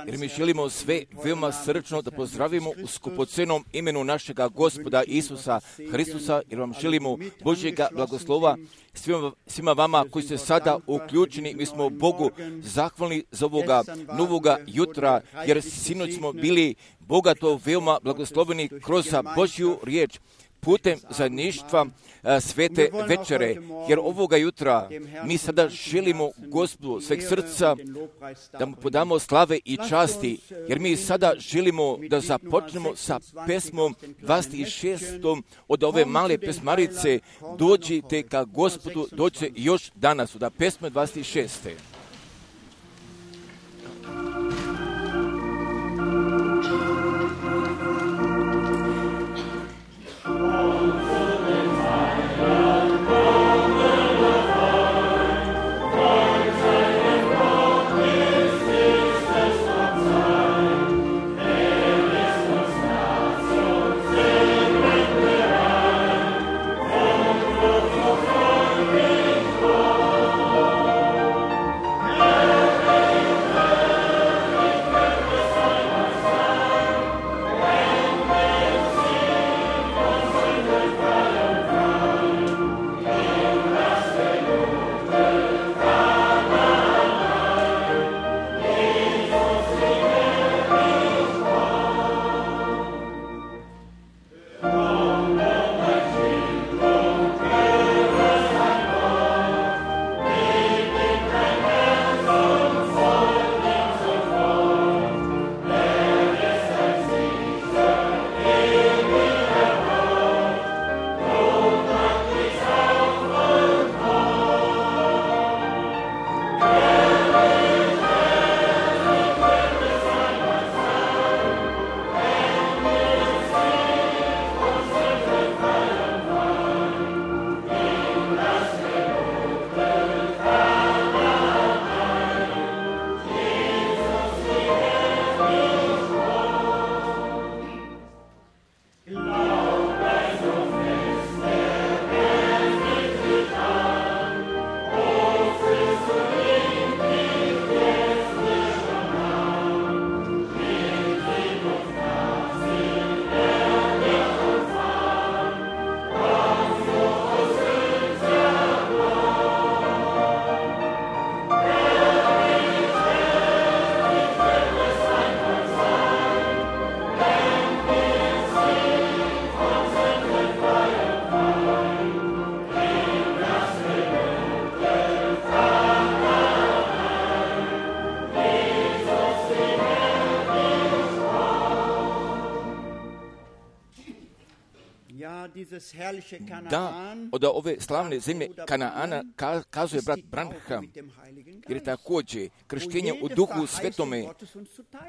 Jer mi želimo sve veoma srčno da pozdravimo u skupocenom imenu našega Gospoda Isusa Hristusa, jer vam želimo Božjega blagoslova svima vama koji ste sada uključeni. Mi smo Bogu zahvalni za ovoga novoga jutra, jer sinoć smo bili bogato veoma blagosloveni kroz Božju riječ putem zajedništva svete večere, jer ovoga jutra mi sada želimo Gospodu sveg srca da mu podamo slave i časti, jer mi sada želimo da započnemo sa pesmom 26. od ove male pesmarice Dođite ka Gospodu, dođe još danas, od pesme 26. Da, od ove slavne zemlje Kanaana kazuje brat Branham, jer je također krštenje u Duhu Svetome,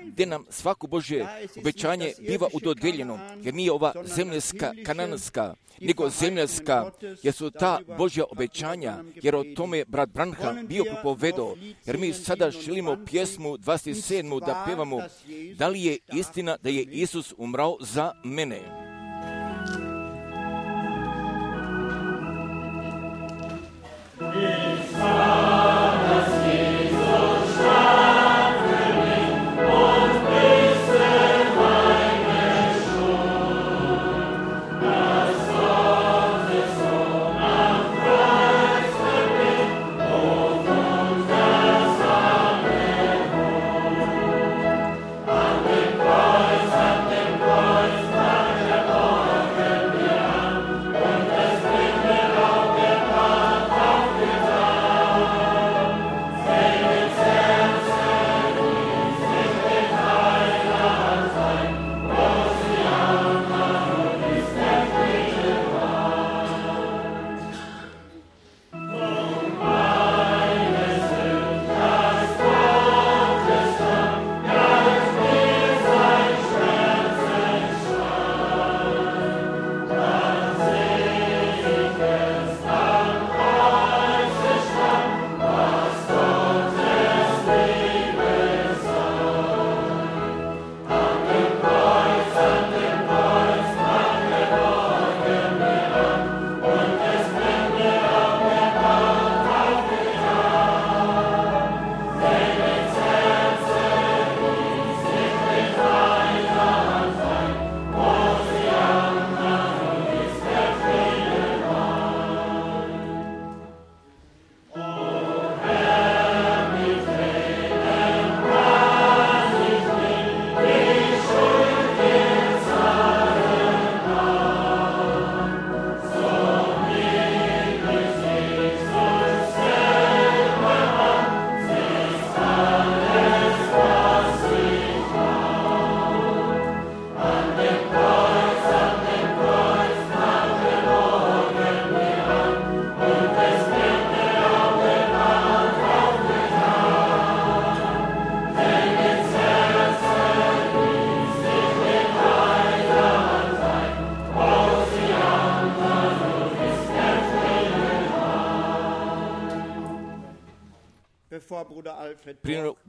gdje nam svako Božje obećanje biva udodijeljeno, jer nije ova zemljanska, kananska, nego zemljanska, jer su ta Božja obećanja, jer o tome brat Branham bio propovedao, jer mi sada želimo pjesmu 27. da pevamo, da li je istina da je Isus umrao za mene. An dem Kreuz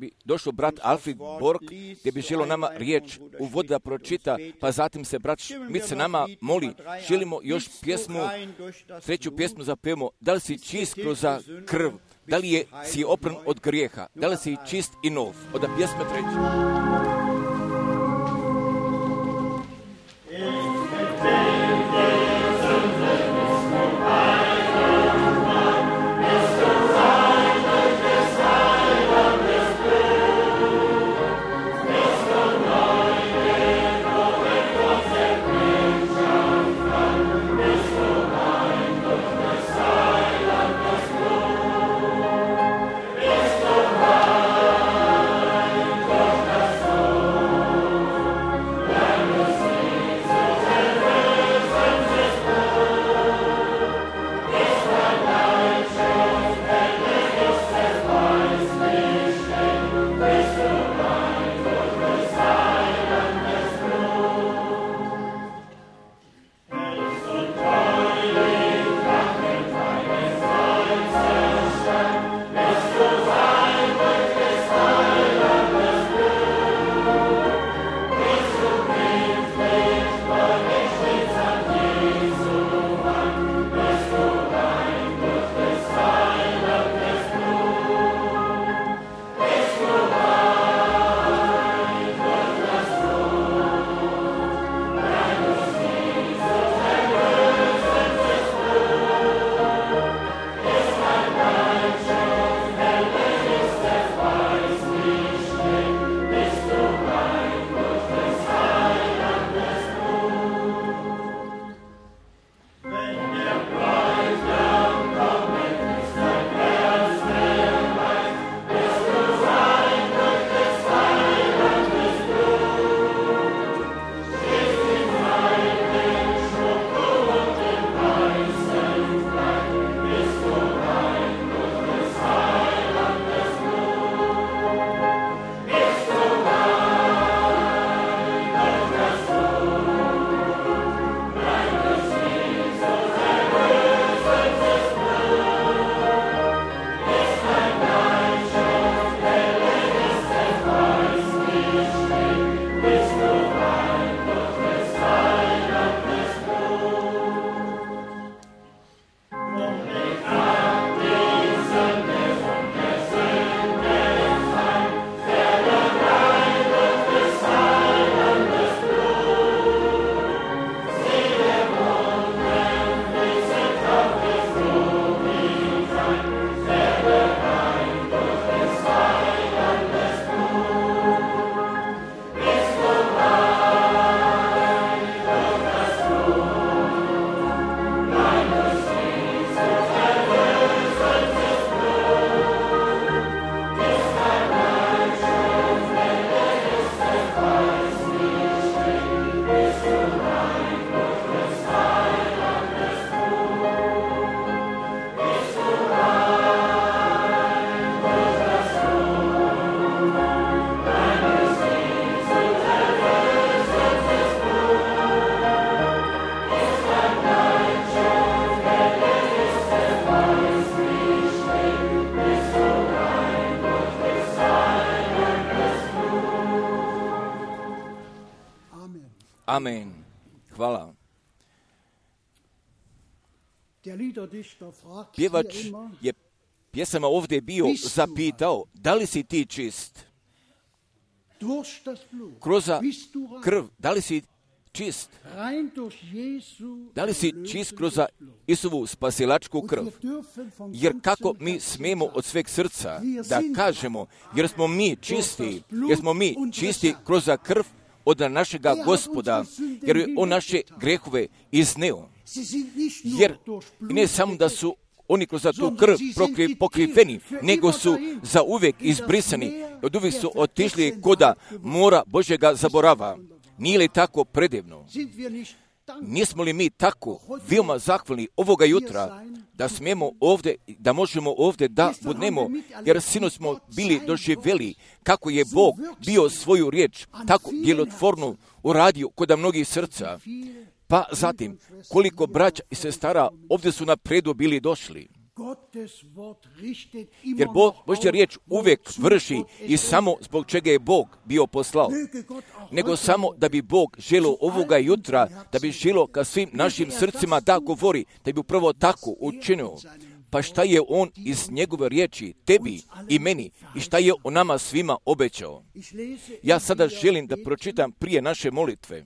bi došao brat Alfred Borg, gdje bi želio nama riječ u vodi da pročita, pa zatim se brat Schmidt se nama moli, želimo još pjesmu, treću pjesmu zapevamo, da li si čist kroz krv, da li si opran od grijeha, da li si čist i nov, od pjesme treće. Amen. Hvala. Pjevač je pjesama ovdje bio zapitao, da li si ti čist? Kroz krv, da li si čist? Da li si čist kroz Isusovu spasilačku krv? Jer kako mi smijemo od sveg srca da kažemo, jer smo mi čisti kroz krv od našega Gospoda, jer je on naše grehove izneo. Jer ne samo da su oni kroz tu krv pokriveni, nego su zauvijek izbrisani, od uvijek su otišli koda mora Božjega zaborava. Nije li tako predivno? Nismo li mi tako veoma zahvalni ovoga jutra da smijemo ovdje, da možemo ovdje da budemo, jer sinoć smo bili doživjeli kako je Bog bio svoju riječ tako djelotvorno uradio kod mnogih srca. Pa zatim, koliko braća i sestara ovdje su na predu bili došli. Jer Božja riječ uvijek vrši i samo zbog čega je Bog bio poslao, nego samo da bi Bog želio ovoga jutra, da bi želio ka svim našim srcima da govori, da bi upravo tako učinio. Pa šta je on iz njegove riječi tebi i meni i šta je on nama svima obećao? Ja sada želim da pročitam prije naše molitve.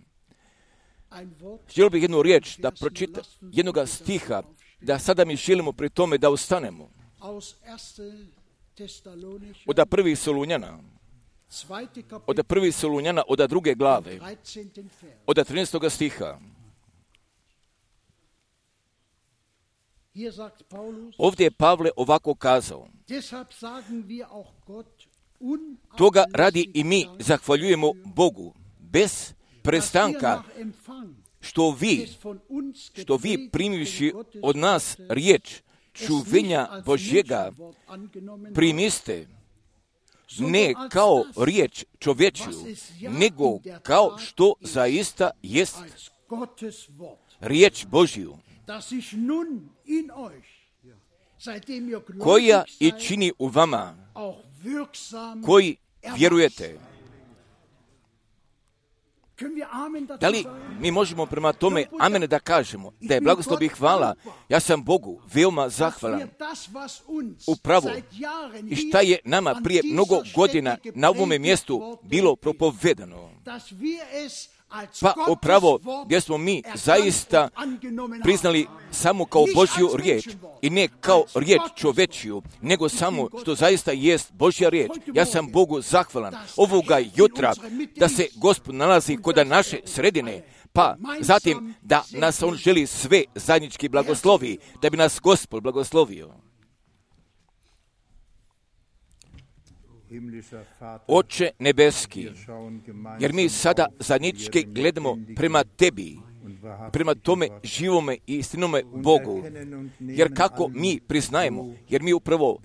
Želio bih jednu riječ da pročitam, jednoga stiha, da sada mi želimo pri tome da ustanemo. Od prvih Solunjana, od druge glave, od 13. stiha. Ovdje je Pavle ovako kazao: toga radi i mi zahvaljujemo Bogu bez prestanka, što vi primivši od nas riječ čuvenja Božjega primiste, ne kao riječ čovječju, nego kao što zaista jest riječ Božju, koja i čini u vama, koji vjerujete. Da li mi možemo prema tome amen da kažemo, da je blagoslov i hvala, ja sam Bogu veoma zahvalan upravo i šta je nama prije mnogo godina na ovome mjestu bilo propovedano. Pa upravo gdje smo mi zaista priznali samo kao Božju riječ i ne kao riječ čovečiju, nego samo što zaista jest Božja riječ. Ja sam Bogu zahvalan ovoga jutra da se Gospod nalazi kod naše sredine, pa zatim da nas On želi sve zajednički blagoslovi, da bi nas Gospod blagoslovio. Oče nebeski, jer mi sada zajednički gledamo prema tebi, prema tome živome i istinome Bogu, jer kako mi priznajemo, jer mi upravo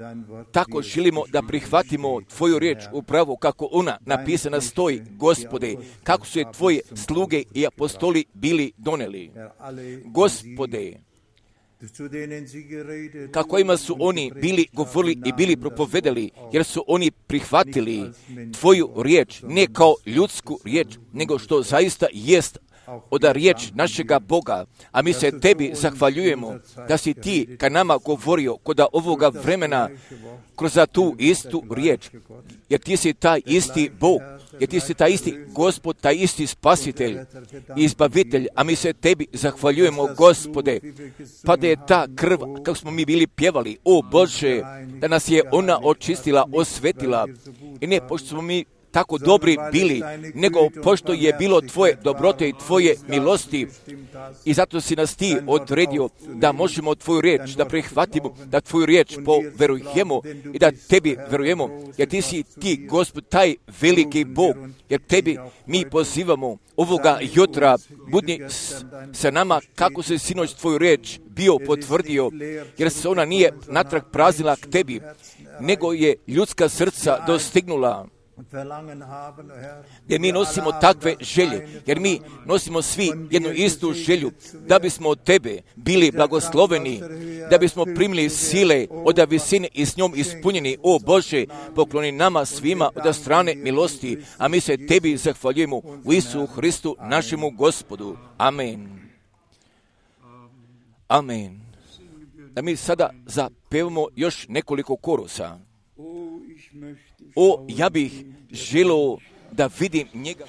tako želimo da prihvatimo tvoju riječ upravo kako ona napisana stoji, Gospode, kako su je tvoje sluge i apostoli bili doneli. Gospode, kako ima su oni bili govorili i bili propovedali, jer su oni prihvatili tvoju riječ, ne kao ljudsku riječ, nego što zaista jest od riječ našega Boga, a mi se tebi zahvaljujemo da si ti ka nama govorio kod ovoga vremena kroz tu istu riječ, jer ti si taj isti Bog, jer ti si taj isti Gospod, taj isti Spasitelj i Izbavitelj, a mi se tebi zahvaljujemo, Gospode, pa da je ta krv, kako smo mi bili pjevali, o Bože, da nas je ona očistila, osvetila, i ne pošto smo mi tako dobri bili, nego pošto je bilo tvoje dobrote i tvoje milosti, i zato si nas ti odredio da možemo tvoju riječ da prihvatimo, da tvoju riječ poverujemo i da tebi verujemo, jer ti si ti, Gospod, taj veliki Bog, jer tebi mi pozivamo ovoga jutra, budni sa nama kako se sinoć tvoju riječ bio potvrdio, jer se ona nije natrag praznila k tebi, nego je ljudska srca dostignula, jer mi nosimo takve želje, jer mi nosimo svi jednu istu želju, da bismo od tebe bili blagosloveni, da bismo primili sile od visine i s njom ispunjeni. O Bože, pokloni nama svima od strane milosti, a mi se tebi zahvaljujemo u Isusu Hristu, našemu Gospodu. Amen. Amen. Da mi sada zapevamo još nekoliko korusa. O, ja bih želio da vidim njega.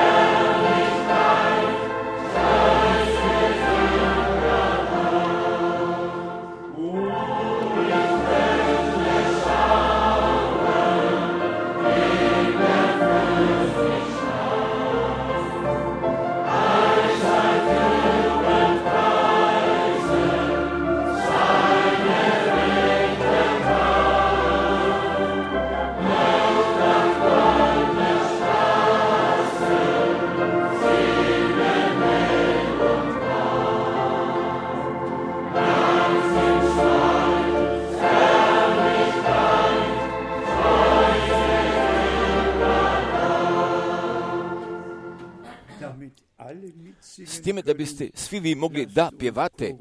Lass s time da biste svi vi mogli da pjevate.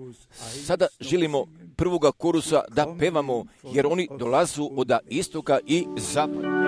Sada želimo prvoga korusa da pevamo, jer oni dolazu od istoka i zapada.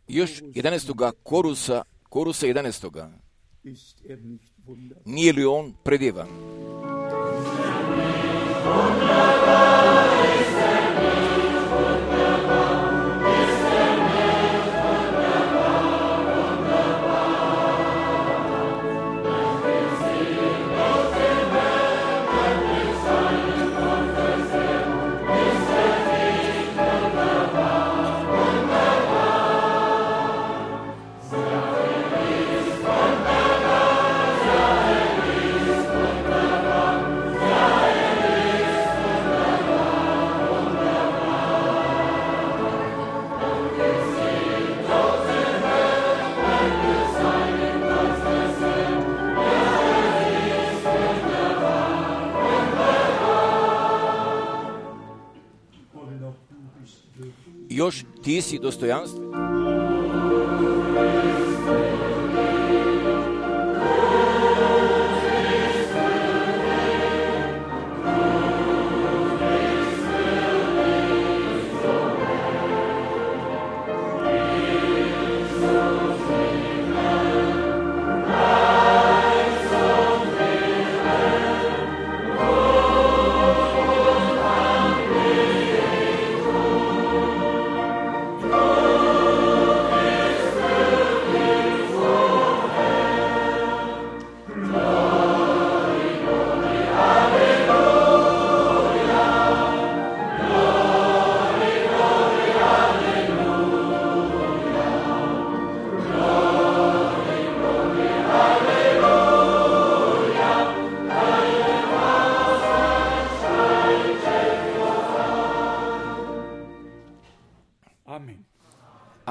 Još 11. korusa 11. Nije li on predjevan? Još ti si dostojanstven.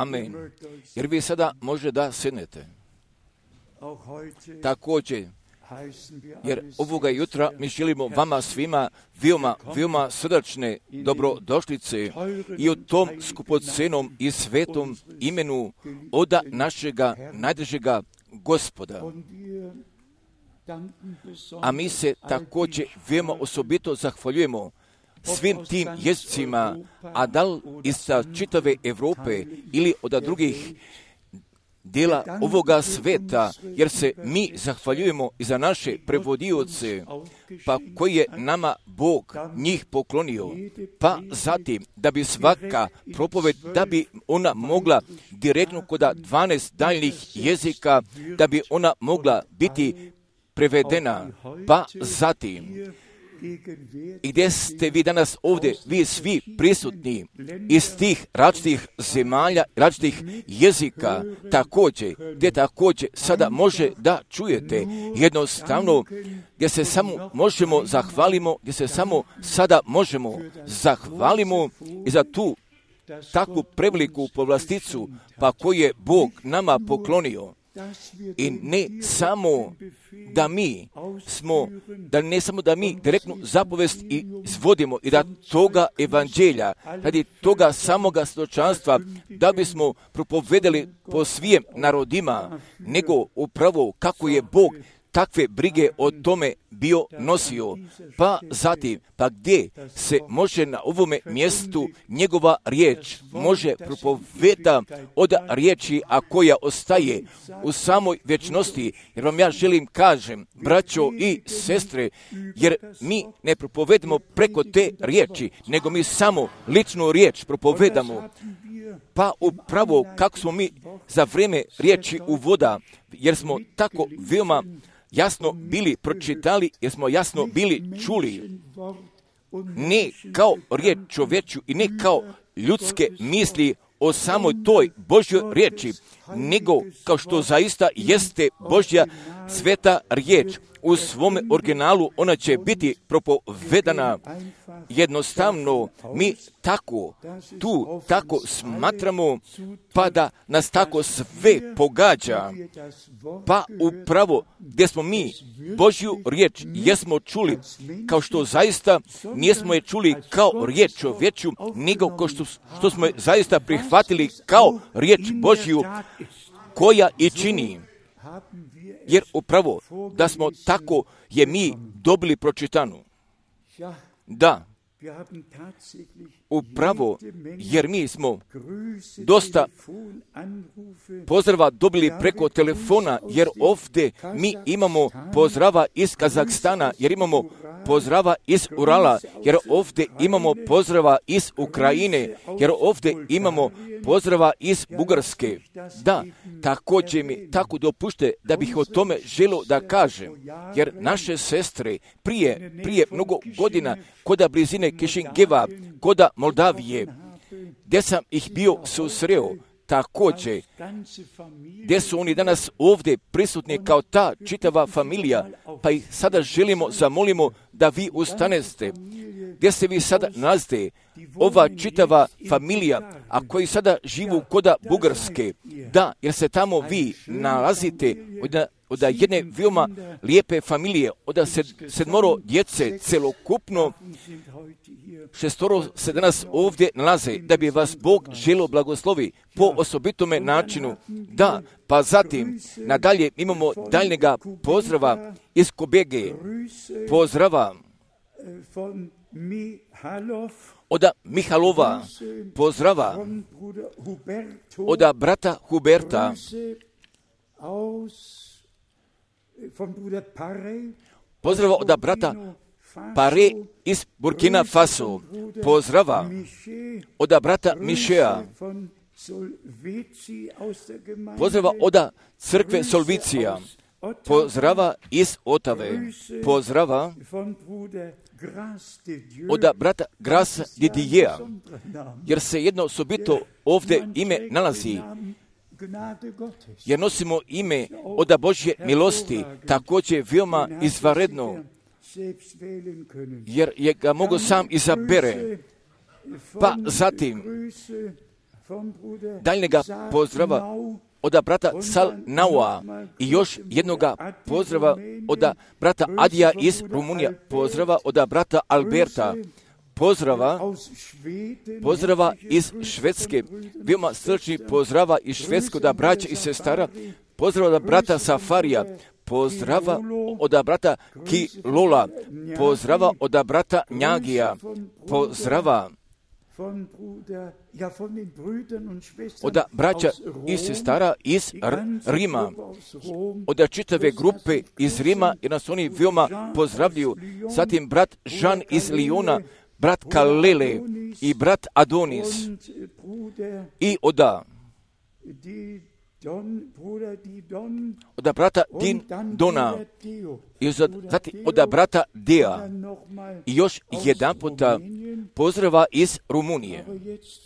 Amen. Jer vi sada može da sjednete. Također, jer ovoga jutra mi želimo vama svima veoma srdačne dobrodošlice i u tom skupocenom i svetom imenu od našega najdražega Gospoda. A mi se također veoma osobito zahvaljujemo svim tim jezicima, a da li iz čitave Europe ili od drugih dijela ovoga sveta, jer se mi zahvaljujemo i za naše prevodioce, pa koji je nama Bog njih poklonio, pa zatim da bi svaka propoved, da bi ona mogla direktno kod 12 daljnih jezika, da bi ona mogla biti prevedena, pa zatim i gdje ste vi danas ovdje, vi svi prisutni iz tih različitih zemalja, različitih jezika, također, gdje također sada može da čujete jednostavno, gdje se samo možemo zahvalimo, gdje se samo sada možemo zahvalimo i za tu takvu preveliku povlasticu, pa koju je Bog nama poklonio. I ne samo da mi smo, ne samo da mi direktnu zapovest izvodimo i da toga evanđelja, radi toga samoga svjedočanstva, da bismo propovedali po svim narodima, nego upravo kako je Bog takve brige o tome bio nosio. Pa zatim, pa gdje se može na ovome mjestu njegova riječ može propoveda od riječi, a koja ostaje u samoj vječnosti. Jer vam ja želim kažem, braćo i sestre, jer mi ne propovedamo preko te riječi, nego mi samo ličnu riječ propovedamo. Pa upravo kako smo mi za vrijeme riječi uvoda, jer smo tako veoma jasno bili pročitali, jer smo jasno bili čuli, ne kao riječ čovječju i ne kao ljudske misli o samoj toj Božjoj riječi, nego kao što zaista jeste Božja sveta riječ. U svome originalu ona će biti propovedana. Jednostavno, mi tako smatramo, pa da nas tako sve pogađa. Pa upravo gdje smo mi Božju riječ jesmo čuli, kao što zaista nismo je čuli kao riječ čovječju, nego kao što smo je zaista prihvatili kao riječ Božju, koja i čini. Jer upravo da smo tako je mi dobili pročitanu. Da, upravo jer mi smo dosta pozdrava dobili preko telefona, jer ovdje mi imamo pozdrava iz Kazahstana, jer imamo pozdrava iz Urala, jer ovdje imamo pozdrava iz Ukrajine, jer ovdje imamo pozdrava iz Bugarske. Da, također mi tako dopušte da bih o tome želio da kažem, jer naše sestre prije mnogo godina koda blizine Kišingeva, koda Moldavije, gdje sam ih bio susreo, također, gdje su oni danas ovdje prisutni kao ta čitava familija, pa i sada želimo, zamolimo da vi ustaneste. Gdje se vi sada nalazite, ova čitava familija, a koji sada živu koda Bugarske, da, jer se tamo vi nalazite od jedne veoma lijepe familije, od sedmoro djece, celokupno 6 se danas ovdje nalaze, da bi vas Bog želio blagoslovi po osobitome načinu. Da, pa zatim nadalje imamo daljnjega pozdrava iz Kobege, pozdrava od Mihalova, pozdrava od brata Huberta, pozdrava od brata Pare iz Burkina Faso, pozdrava od brata Mišea, pozdrava od crkve Solvicija, pozdrava iz Otave, pozdrava od brata Grasa Didijea, jer se jedno osobito ovdje ime nalazi, jer nosimo ime od Božje milosti, također veoma izvanredno, jer je ga mogu sam izabere. Pa zatim daljnjega pozdrava od brata Sal Naua i još jednoga pozdrava od brata Adija iz Rumunija, pozdrava od brata Alberta, pozdrava iz Švedske, veoma srčni pozdrava iz Švedske od braća i sestara, pozdrava od brata Safarija, pozdrava od brata Kilola, pozdrava od brata Njagija, pozdrava od braća i sestara iz Rima, od čitave grupe iz Rima, jer nas oni veoma pozdravljuju. Zatim brat Žan iz Lijona, brat Kalele i brat Adonis i od brata Dona i zatim od brata Dea i još jedan puta pozdrava iz Rumunije.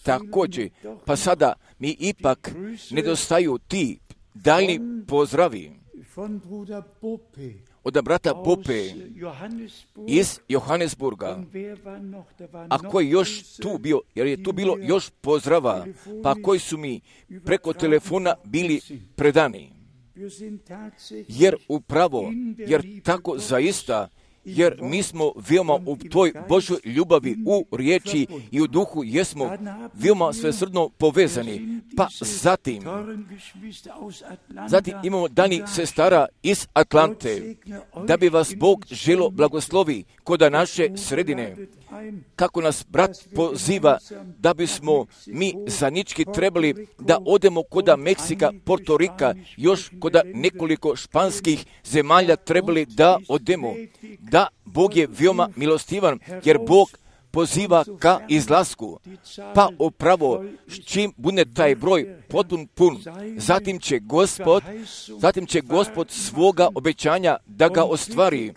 Također, pa sada mi ipak nedostaju ti daljni pozdravi od brata Pope iz Johannesburga. A koji još tu bio, jer je tu bilo još pozdrava, pa koji su mi preko telefona bili predani. Jer upravo, jer tako zaista, jer mi smo veoma u toj Božoj ljubavi, u riječi i u duhu jesmo veoma svesrdno povezani. Pa zatim imamo dani sestara iz Atlante, da bi vas Bog želo blagoslovi koda naše sredine. Kako nas brat poziva da bismo mi zajednički trebali da odemo koda Meksika, Portorika, još koda nekoliko španskih zemalja trebali da odemo. Da, Bog je veoma milostivan, jer Bog poziva ka izlasku. Pa upravo čim bude taj broj potpun pun, zatim će Gospod svoga obećanja da ga ostvari.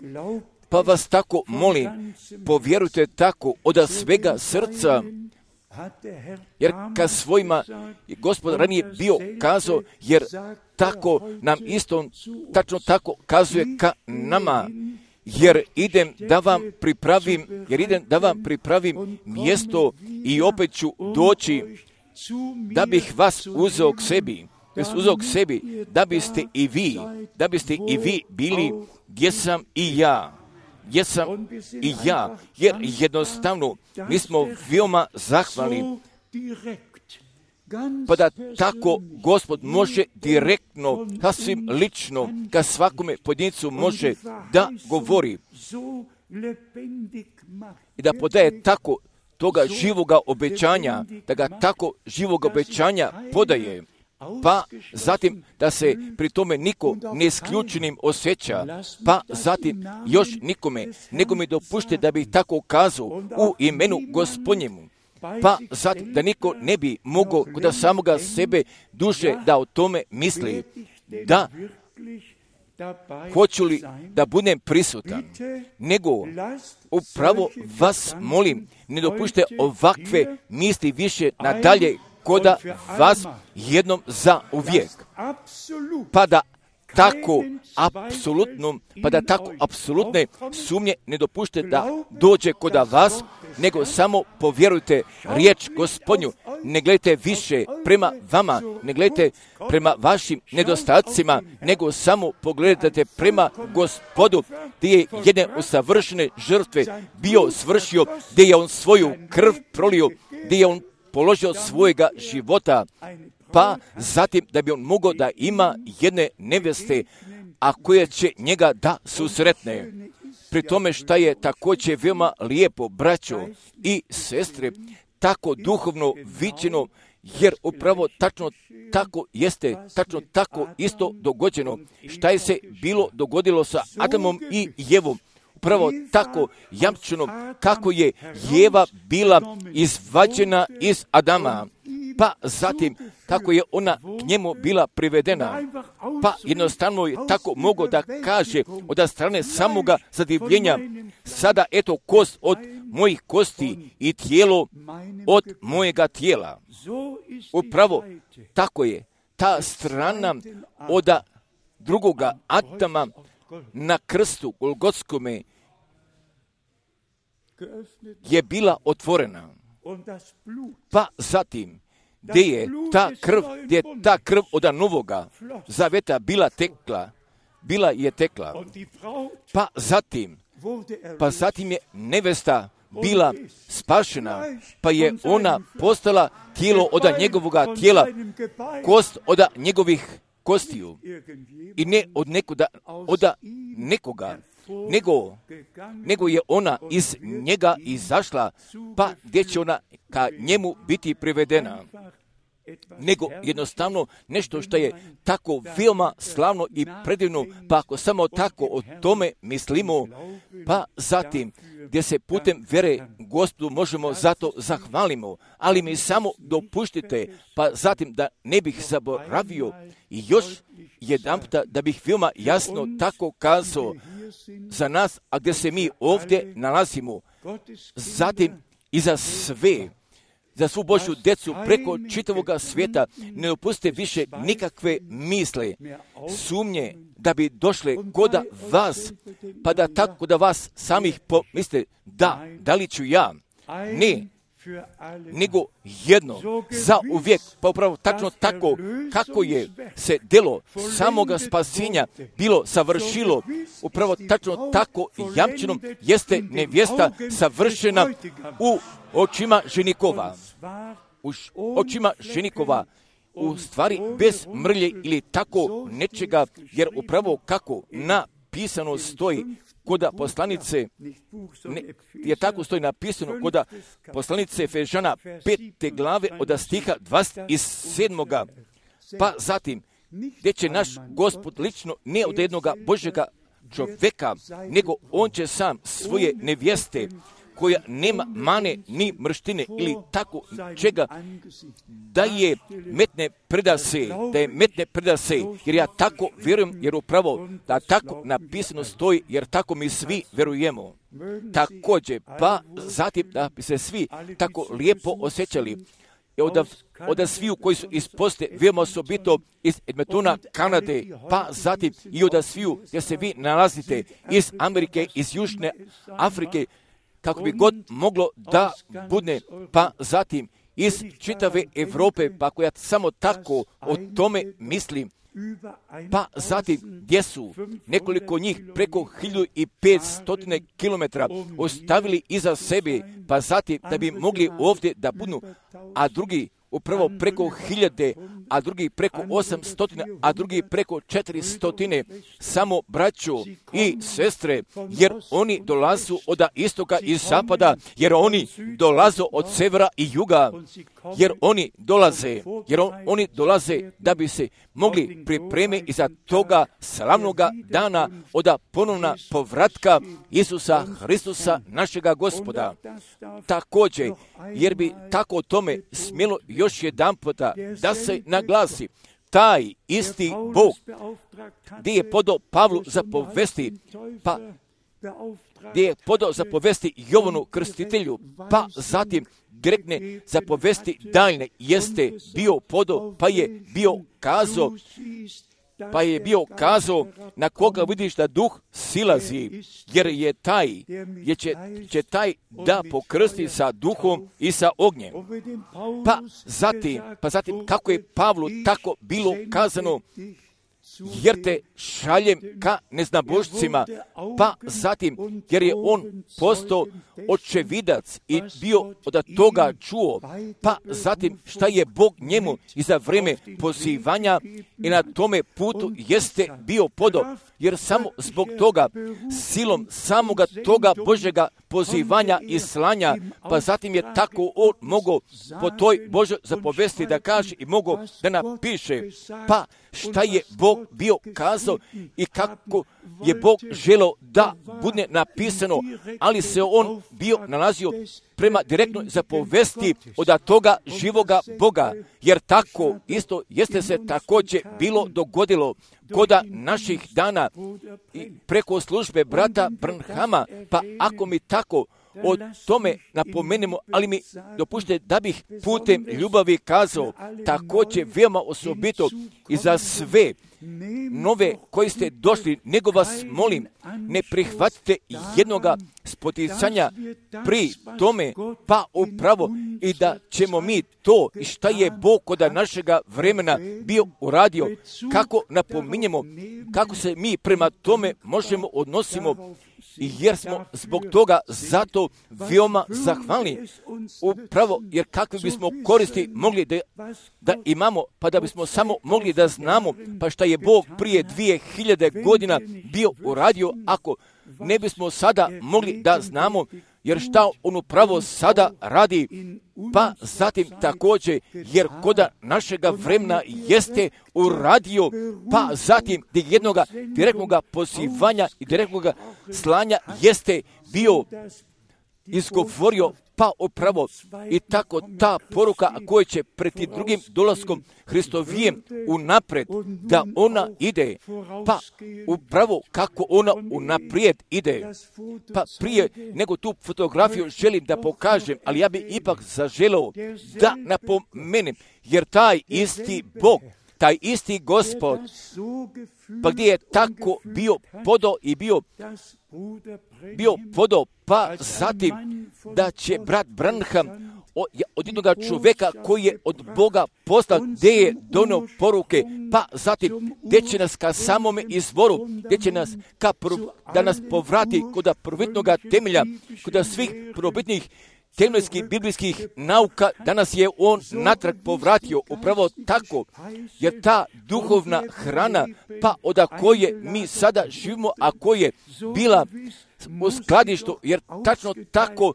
Pa vas tako molim, povjerujte tako od svega srca, jer ka svojima je Gospod ranije bio kazao, jer tako nam isto, tačno tako kazuje ka nama, jer idem da vam pripravim mjesto i opet ću doći da bih vas uzeo k sebi, da biste i vi bili gdje sam i ja. Jer jednostavno mi smo veoma zahvalni, pa da tako Gospod može direktno, sasvim lično, ka svakome pojedincu može da govori i da podaje tako toga živoga obećanja, da ga tako živoga obećanja podaje. Pa zatim da se pri tome niko neisključenim osjeća, pa zatim još nikome, nego mi dopušte da bih tako kazao u imenu Gospodnjemu, pa zatim da niko ne bi mogao kod samoga sebe duše da o tome misli, da hoću li da budem prisutan, nego upravo vas molim, ne dopušte ovakve misli više nadalje koda vas jednom za uvijek. Pa da tako apsolutne sumnje ne dopušte da dođe koda vas, nego samo povjerujte riječ Gospodnju. Ne gledajte više prema vama, ne gledajte prema vašim nedostacima, nego samo pogledajte prema Gospodu, gdje je jedne usavršene žrtve bio svršio, gdje je on svoju krv prolio, gdje je on položio svojega života, pa zatim da bi on mogao da ima jedne neveste, a koje će njega da susretne. Pri tome šta je također veoma lijepo, braćo i sestre, tako duhovno viđeno, jer upravo tačno tako jeste, tačno tako isto dogođeno, šta je se dogodilo sa Adamom i Jevom. Upravo tako jamčeno kako je Jeva bila izvađena iz Adama, pa zatim kako je ona k njemu bila privedena, pa jednostavno je tako mogao da kaže od strane samoga zadivljenja, sada eto kost od mojih kosti i tijelo od mojega tijela. Upravo tako je ta strana od drugoga Adama na krstu Golgotskome je bila otvorena. Pa zatim, gdje je ta krv od novoga zaveta bila tekla. Pa zatim je nevesta bila spašena, pa je ona postala tijelo od njegovoga tijela, kost od njegovih kostiju. I ne od nekoga, nego je ona iz njega izašla, pa gdje će ona ka njemu biti privedena. Nego jednostavno nešto što je tako veoma slavno i predivno, pa ako samo tako o tome mislimo, pa zatim gdje se putem vere Gospodu možemo zato zahvalimo, ali mi samo dopuštite, pa zatim da ne bih zaboravio i još jedanputa da bih veoma jasno tako kazao za nas, a gdje se mi ovdje nalazimo, zatim i za svu Božju djecu preko čitavoga svijeta, ne dopustite više nikakve misle, sumnje da bi došle koda vas, pa da tako da vas samih pomislite, da li ću ja? Ne, nego jedno, za uvijek, pa upravo tačno tako kako je se delo samoga spasenja bilo savršilo, upravo tačno tako jamčeno jeste nevjesta savršena u očima ženikova. U stvari bez mrlje ili tako nečega, jer upravo kako napisano stoji koda poslanice, je tako stoji napisano koda poslanice Efežana 5. glave od stiha 27. Pa zatim, gdje će naš Gospod lično ne od jednoga Božjega čovjeka, nego on će sam svoje nevjeste, koja nema mane ni mrštine ili tako čega, da je metne predase, jer ja tako vjerujem, jer upravo da tako napisano stoji, jer tako mi svi vjerujemo. Također, pa zatim da bi se svi tako lijepo osjećali. Od sviju koji su iz poste, veoma osobito iz Edmontona, Kanade, pa zatim i od sviju gdje se vi nalazite iz Amerike, iz Južne Afrike, kako bi god moglo da bude, pa zatim iz čitave Europe, pa ako ja samo tako o tome mislim, pa zatim gdje su nekoliko njih preko 1500 kilometara ostavili iza sebe, pa zatim da bi mogli ovdje da budu, a drugi upravo preko 1000, a drugi preko 800, a drugi preko 400, samo braćo i sestre, jer oni dolazu od istoka i zapada, jer oni dolaze od severa i juga, jer oni dolaze da bi se mogli pripremiti iza toga slavnoga dana od ponovna povratka Isusa Hristusa, našega Gospoda. Također, jer bi tako o tome smjelo još jedan puta da se naglasi, taj isti Bog gdje je podao Pavlu zapovesti, pa gdje je podao zapovesti Jovanu Krstitelju, pa zatim direktne zapovesti daljne jeste bio podao, pa je bio kazao na koga vidiš da duh silazi, jer je će taj da pokrsti sa duhom i sa ognjem. Pa zatim kako je Pavlu tako bilo kazano, jer te šaljem ka neznabošcima, pa zatim jer je on postao očevidac i bio od toga čuo, pa zatim šta je Bog njemu i za vrijeme pozivanja i na tome putu jeste bio podao, jer samo zbog toga, silom samoga toga Božjega pozivanja i slanja, pa zatim je tako on mogao po toj Božoj zapovesti da kaže i mogao da napiše, pa šta je Bog bio kazao i kako je Bog želeo da bude napisano, ali se on bio nalazio prema direktnoj zapovesti od toga živoga Boga, jer tako isto jeste se također bilo dogodilo kod naših dana i preko službe brata Branhama, pa ako mi tako o tome napomenemo, ali mi dopušte da bih putem ljubavi kazao, također veoma osobito i za sve nove koji ste došli, nego vas molim, ne prihvatite jednoga spoticanja pri tome, pa upravo i da ćemo mi to i šta je Bog kod našega vremena bio uradio, kako napominjemo, kako se mi prema tome možemo odnosimo, jer smo zbog toga zato veoma zahvalni. Upravo jer kakve bismo koristi mogli da imamo, pa da bismo samo mogli da znamo, pa šta je Bog prije 2000 godina bio uradio, ako ne bismo sada mogli da znamo, jer šta on upravo sada radi, pa zatim također, jer kod našega vremena jeste uradio, pa zatim jednoga direktnog pozivanja i direktnog slanja jeste bio izgovorio, pa upravo i tako ta poruka koja će pred drugim dolaskom Hristovijem unaprijed, da ona ide, pa upravo kako ona unaprijed ide. Pa prije nego tu fotografiju želim da pokažem, ali ja bi ipak zaželeo da napomenem, jer taj isti Bog, taj isti Gospod, pa gdje je tako bio podao i bio podao, pa zatim da će brat Branham od jednog čovjeka koji je od Boga poslan, gdje je donio poruke, pa zatim gdje će nas ka samome izvoru, gdje će nas da nas povrati kod prvobitnog temelja, kod svih prvobitnih temeljskih biblijskih nauka, danas je on natrag povratio upravo tako, jer ta duhovna hrana, pa od koje mi sada živimo, a koja je bila u skladištu, jer tačno tako,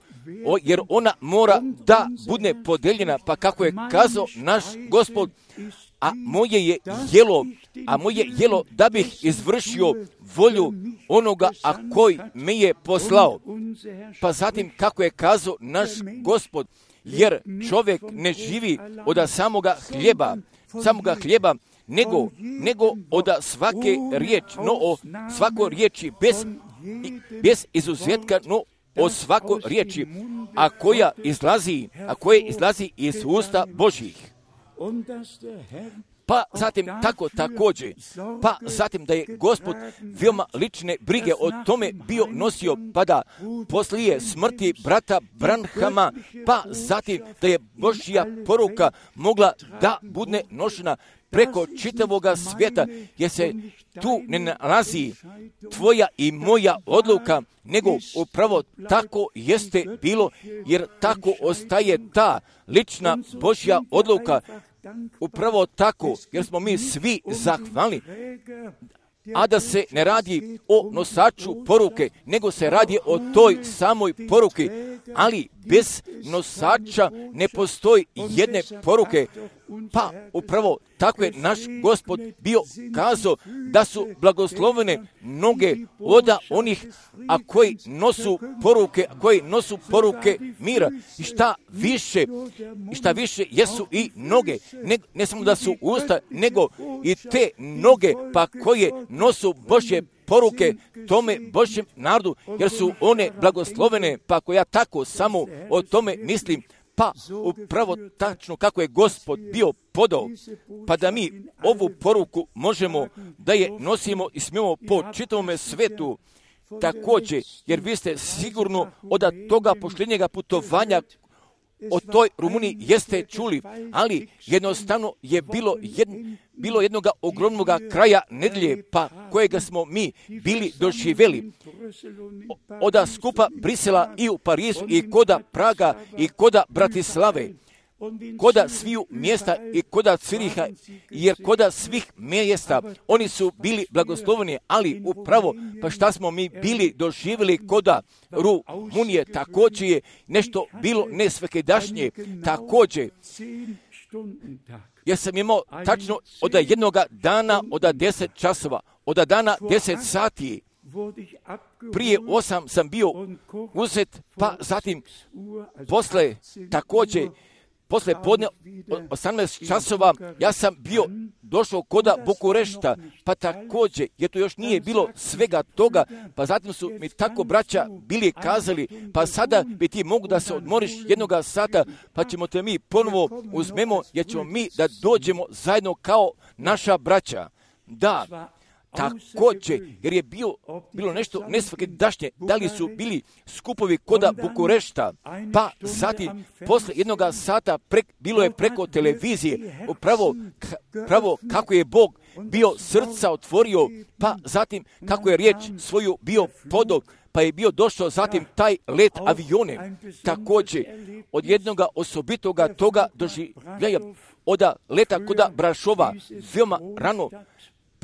jer ona mora da bude podeljena, pa kako je kazao naš Gospod, a moje jelo da bih izvršio volju onoga, a koji me je poslao. Pa zatim kako je kazao naš Gospod, jer čovjek ne živi od samoga hljeba, nego od svake riječi, no o svakoj riječi bez izuzetka, no o svakoj riječi, a koja izlazi iz usta Božjih. Pa zatim tako također, pa zatim da je Gospod veoma lične brige o tome bio nosio, pa da poslije smrti brata Branhama, pa zatim da je Božja poruka mogla da bude nošena preko čitavoga svijeta, jer se tu ne nalazi tvoja i moja odluka, nego upravo tako jeste bilo, jer tako ostaje ta lična Božja odluka. Upravo tako, jer smo mi svi zahvalni, a da se ne radi o nosaču poruke, nego se radi o toj samoj poruki, ali bez nosača ne postoji jedne poruke. Pa upravo tako je naš Gospod bio kazao da su blagoslovene mnoge od onih, a koji nosu poruke mira. I šta više jesu i noge, ne samo da su usta, nego i te noge, pa koje nosu Božje poruke tome Božjem narodu, jer su one blagoslovene, pa ako ja tako samo o tome mislim, pa upravo tačno kako je Gospod bio podao, pa da mi ovu poruku možemo da je nosimo i smijemo po čitavome svetu također, jer vi ste sigurno od toga pošljenjega putovanja o toj Rumuniji jeste čuli, ali jednostavno je bilo jednoga ogromnog kraja nedelje, pa kojega smo mi bili doživjeli. Od skupa Brisela i u Parizu i koda Praga i koda Bratislave, koda sviju mjesta i koda Ciriha, jer koda svih mjesta oni su bili blagosloveni, ali upravo pa šta smo mi bili doživjeli koda Rumunije, također je nešto bilo nesvekedašnje, također. Ja sam imao tačno od jednog dana, od 10 časova, od dana 10 sati, prije 8 sam bio uzet, pa zatim posle podne 18 časova ja sam bio došao koda Bukurešta, pa također, jer to još nije bilo svega toga, pa zatim su mi tako braća bili kazali, pa sada bi ti mogu da se odmoriš jednoga sata, pa ćemo te mi ponovo uzmemo, jer ćemo mi da dođemo zajedno kao naša braća. Da, također, jer je bilo nešto nesvakidašnje, da li su bili skupovi koda Bukurešta, pa zatim posle jednog sata bilo je preko televizije, upravo kako je Bog bio srca otvorio, pa zatim kako je riječ svoju bio podao, pa je bio došao zatim taj let avione, također od jednog osobitoga toga doživljaja, od leta koda Brašova, veoma rano,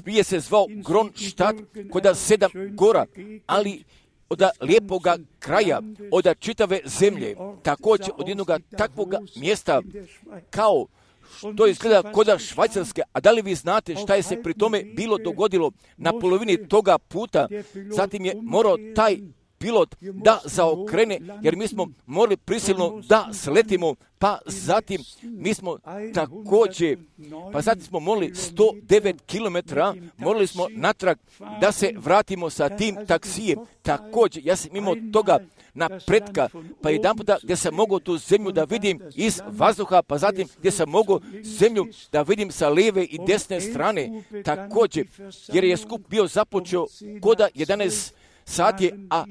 prije se zvao Kronstadt, koda 7 gora, ali od lijepoga kraja, od čitave zemlje, također od jednog takvog mjesta, kao što izgleda koda Švajcarske. A da li vi znate šta je se pri tome bilo dogodilo na polovini toga puta? Zatim je morao taj pilot da zaokrene, jer mi smo morali prisilno da sletimo, pa zatim mi smo također, pa zatim smo morali 109 km, morali smo natrag da se vratimo sa tim taksijem. Također, ja sam imao toga napretka, pa jedan puta gdje sam mogao tu zemlju da vidim iz vazduha, pa zatim gdje sam mogao zemlju da vidim sa lijeve i desne strane, također, jer je skup bio započeo koda 11 sati, a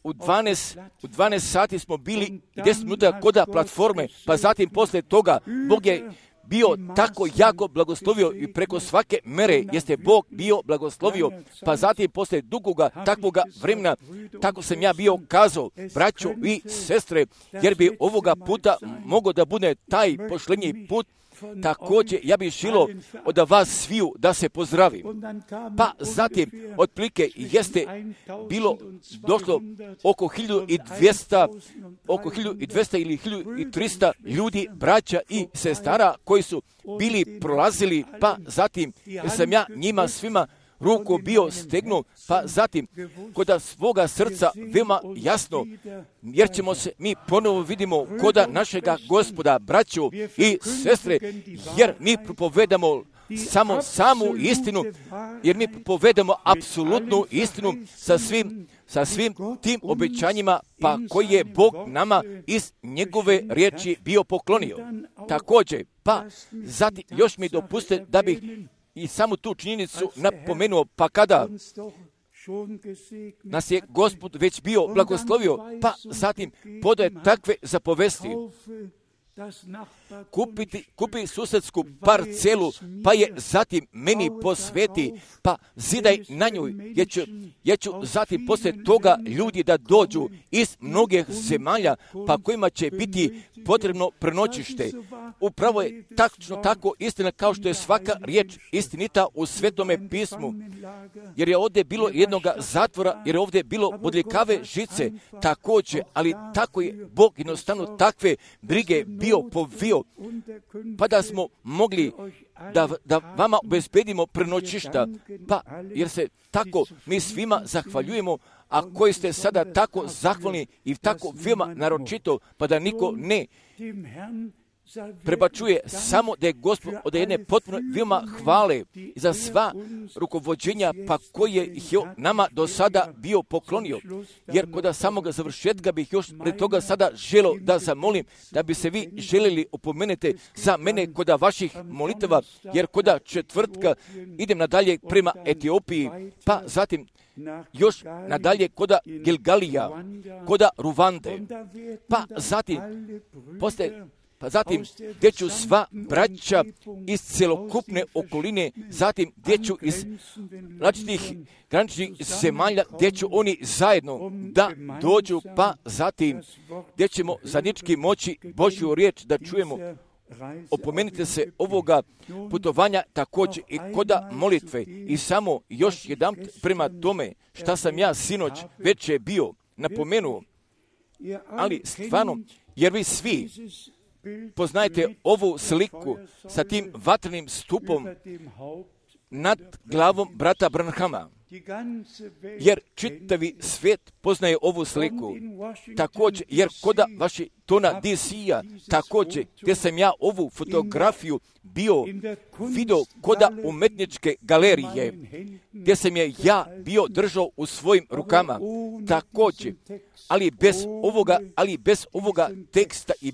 u 12 sati smo bili 10 minuta koda platforme, pa zatim posle toga Bog je bio tako jako blagoslovio i preko svake mere jeste Bog bio blagoslovio, pa zatim posle dugoga takvoga vremena, tako sam ja bio kazao, braćo i sestre, jer bi ovoga puta mogao da bude taj pošlenji put, također ja bih želio od vas sviju da se pozdravim. Pa zatim, otprilike jeste bilo došlo oko 1200 ili 1300 ljudi, braća i sestara koji su bili prolazili, pa zatim sam ja njima svima ruku bio stegnuo, pa zatim kod svoga srca veoma jasno, jer ćemo se mi ponovo vidimo koda našega Gospoda, braću i sestre, jer mi propovedamo samu istinu, jer mi propovedamo apsolutnu istinu sa svim tim obećanjima, pa koji je Bog nama iz njegove riječi bio poklonio. Također, pa zatim još mi dopustite da bih i samo tu činjenicu napomenuo, pa kada nas je Gospod već bio blagoslovio, pa zatim podaje takve zapovesti. Kupi susedsku parcelu, pa je zatim meni posveti, pa zidaj na njoj, jer ću zatim poslije toga ljudi da dođu iz mnogih zemalja, pa kojima će biti potrebno prenoćište. Upravo je tačno tako istina kao što je svaka riječ istinita u Svetome pismu, jer je ovdje bilo jednoga zatvora, jer je ovdje bilo bodljikave žice, također, ali tako je Bog jednostavno takve brige bio povio, pa da smo mogli da vama obezbedimo prenoćišta, pa jer se tako mi svima zahvaljujemo, a koji ste sada tako zahvalni i tako veoma naročito, pa da niko ne prebačuje, samo da je Gospod od jedne potpuno veoma hvale za sva rukovođenja, pa koje je nama do sada bio poklonio. Jer kod samoga završetka bih još pred toga sada želio da zamolim, da bi se vi željeli opomenete za mene kod vaših molitava, jer kod četvrtka idem nadalje prema Etiopiji, pa zatim još nadalje kod Gilgalija, kod Ruvande, pa zatim gdje ću sva braća iz celokupne okoline, zatim gdje ću iz različitih graničnih zemalja, gdje ću oni zajedno da dođu, pa zatim gdje ćemo zajednički moći Božju riječ da čujemo. Opomenite se ovoga putovanja također i koda molitve. I samo još jedan prema tome šta sam ja sinoć već je bio napomenuo, ali stvarno, jer vi svi poznajete ovu sliku sa tim vatrenim stupom nad glavom brata Branhama, jer čitavi svijet poznaje ovu sliku. Također, jer koda Washingtona DC-a, također, gdje sam ja ovu fotografiju bio video koda umetničke galerije, gdje sam je ja bio držao u svojim rukama, također, ali bez ovoga teksta i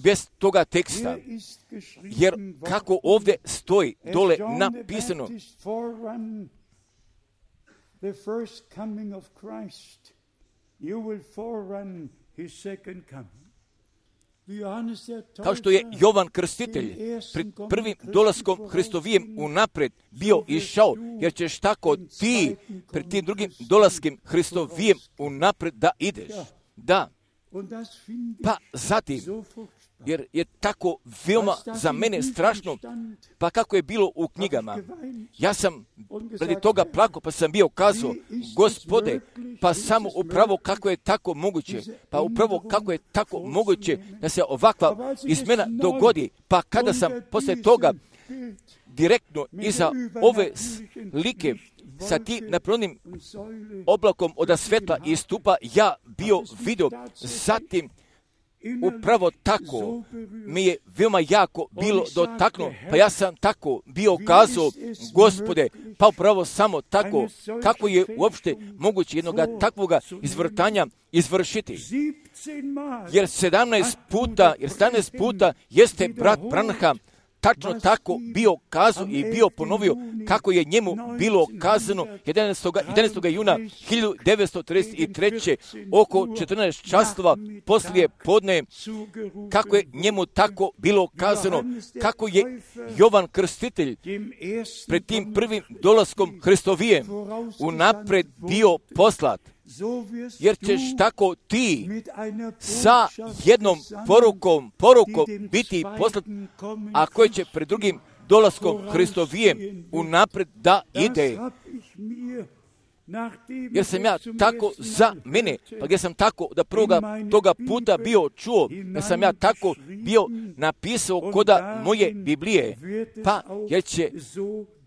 bez toga teksta, jer kako ovdje stoji dole napisano, kao što je Jovan Krstitelj pred prvim dolaskom Hristovijem unaprijed bio išao, jer ćeš tako ti pred tim drugim dolaskom Hristovijem unaprijed da ideš. Da. Pa zatim, jer je tako veoma za mene strašno, pa kako je bilo u knjigama. Ja sam radi toga plako, pa sam bio kazao, Gospode, pa samo upravo kako je tako moguće, da se ovakva izmjena dogodi, pa kada sam poslije toga direktno iza ove slike sa tim napravljenim oblakom od svetla i stupa ja bio vidio, zatim upravo tako mi je veoma jako bilo dotaknuo, pa ja sam tako bio kazao, Gospode, pa upravo samo tako, kako je uopšte moguće jednoga takvoga izvrtanja izvršiti. Jer 17 puta jeste brat Branham tačno tako bio kazao i bio ponovio kako je njemu bilo kazano 11. juna 1933. oko 14 časova poslije podne, kako je njemu tako bilo kazano, kako je Jovan Krstitelj pred tim prvim dolaskom Hristovijem unapred bio poslat. jer ćeš tako ti sa jednom porukom biti poslat, a koji će pred drugim dolaskom Hristovijem unapred da ide. Jer sam ja tako za mene, pa gdje sam tako da prvoga toga puta bio čuo, da sam ja tako bio napisao koda moje Biblije, pa jer će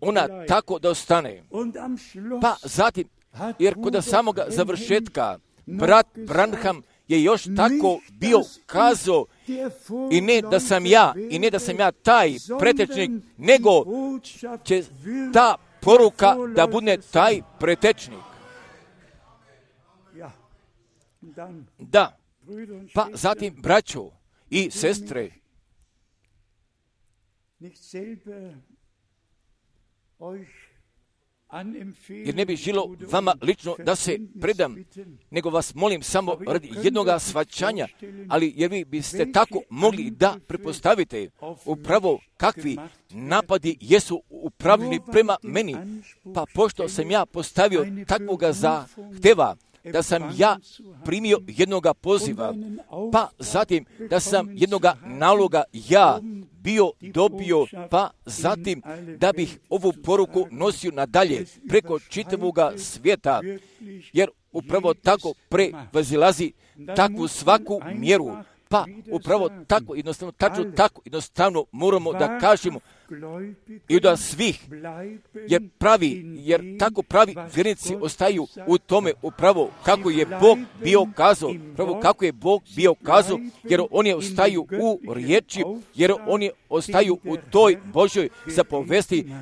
ona tako da ostane. Pa zatim, jer kod samoga završetka, brat Branham je još tako bio kazao, i ne da sam ja taj pretečnik, nego će ta poruka da bude taj pretečnik. Da, pa zatim braćo i sestre, jer ne bi žilo vama lično da se predam, nego vas molim samo radi jednoga shvaćanja, ali jer vi biste tako mogli da prepostavite upravo kakvi napadi jesu upravljeni prema meni, pa pošto sam ja postavio takvoga zahteva, da sam ja primio jednoga poziva, pa zatim da sam jednoga naloga ja bio dobio, pa zatim da bih ovu poruku nosio nadalje preko čitavoga svijeta, jer upravo tako prevazilazi takvu svaku mjeru. Pa upravo tako jednostavno, tačno tako jednostavno moramo da kažemo i da svih, jer tako pravi vjernici ostaju u tome upravo kako je Bog bio kazao, jer oni ostaju u riječi, jer oni ostaju u toj Božoj zapovesti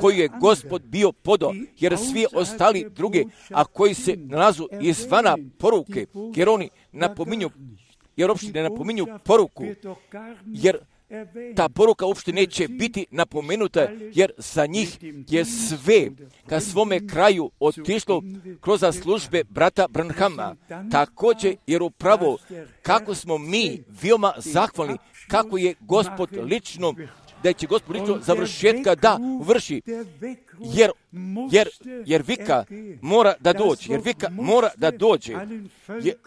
koju je Gospod bio podao, jer svi ostali drugi, a koji se nalazu izvana poruke, jer oni napominju, jer uopšte ne napominju poruku, jer ta poruka uopšte neće biti napomenuta, jer za njih je sve ka svome kraju otišlo kroz službe brata Branhama. Također, jer upravo kako smo mi veoma zahvalni, kako je Gospod lično, da će Gospod lično završetka da vrši, jer vika mora da dođe,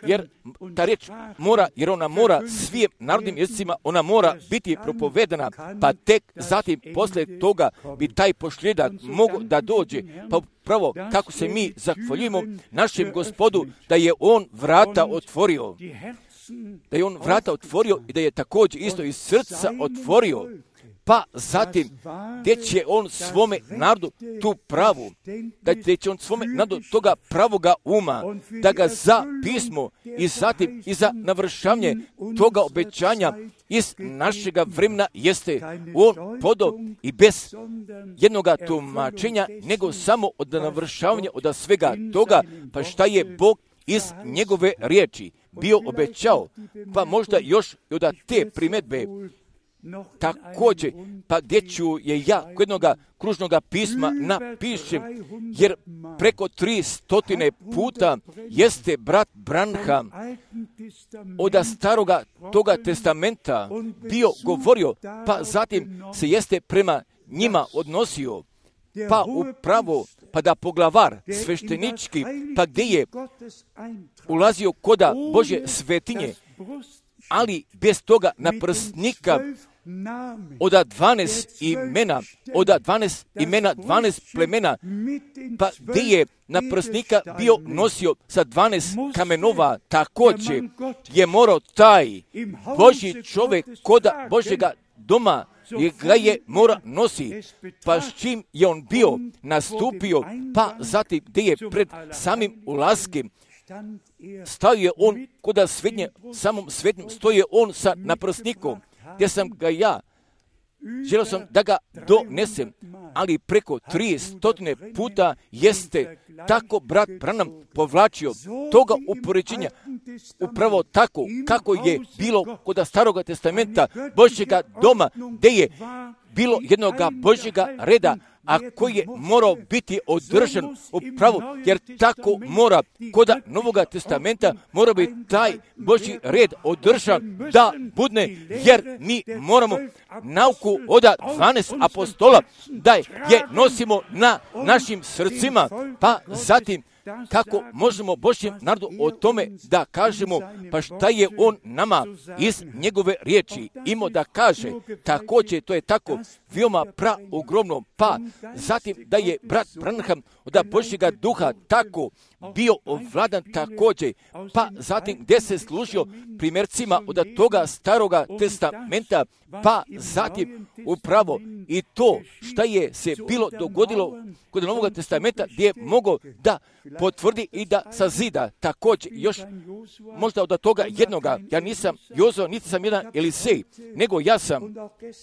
jer ta riječ mora, jer ona mora svim narodnim jezicima, ona mora biti propovedana, pa tek zatim posle toga bi taj pošljedak mogao da dođe. Pa pravo kako se mi zahvaljujemo našem Gospodu da je on vrata otvorio, i da je također isto iz srca otvorio. Pa zatim, gdje će on svome narodu tu pravu, gdje će on svome narodu toga pravoga uma, da ga za pismo i zatim i za navršavanje toga obećanja iz našega vremena jeste on podao i bez jednoga tumačenja, nego samo od navršavanja od svega toga, pa šta je Bog iz njegove riječi bio obećao, pa možda još i od te primjedbe. Također, pa gdje ću je ja kod jednoga kružnoga pisma napišem, jer preko 300 puta jeste brat Branham od staroga toga testamenta bio govorio, pa zatim se jeste prema njima odnosio, pa upravo, pa da poglavar sveštenički, pa gdje je ulazio koda Božje svetinje, ali bez toga naprsnika od 12 imena, 12 plemena, pa gdje je naprsnika bio nosio sa 12 kamenova, također je morao taj Božji čovjek koda Božjega doma ga je mora nosi, pa s čim je on bio nastupio, pa zatim gdje je pred samim ulaskem stavio je on koda samom svetnjem stoji on sa naprsnikom, gdje sam ga ja želio sam da ga donesem, ali preko 300 puta jeste tako brat Branham povlačio toga upoređenja, upravo tako kako je bilo kod Staroga testamenta Božjega doma, gdje je bilo jednoga Božjega reda, a koji je morao biti održan upravo, jer tako mora kod Novoga testamenta mora biti taj Božji red održan da budne, jer mi moramo nauku od 12 apostola da je nosimo na našim srcima, pa zatim kako možemo Božjem narodu o tome da kažemo, pa šta je on nama iz njegove riječi imao da kaže. Također, to je tako veoma ogromno. Pa zatim da je brat Branham od Božjega duha tako bio ovladan također, pa zatim gdje se služio primjercima od toga staroga testamenta, pa zatim upravo i to šta je se bilo dogodilo kod Novog testamenta gdje je mogao da potvrdi i da sazida. Također još možda od toga jednoga, ja nisam Jozo, niti sam jedan Elisej, nego ja sam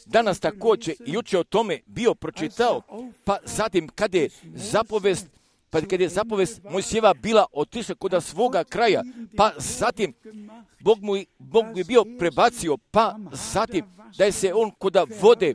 danas također i jučer o tome bio pročitao, pa zatim kad je zapovest Mojsijeva bila otišla kod svoga kraja, pa zatim Bog mu je bio prebacio, pa zatim da je se on kod vode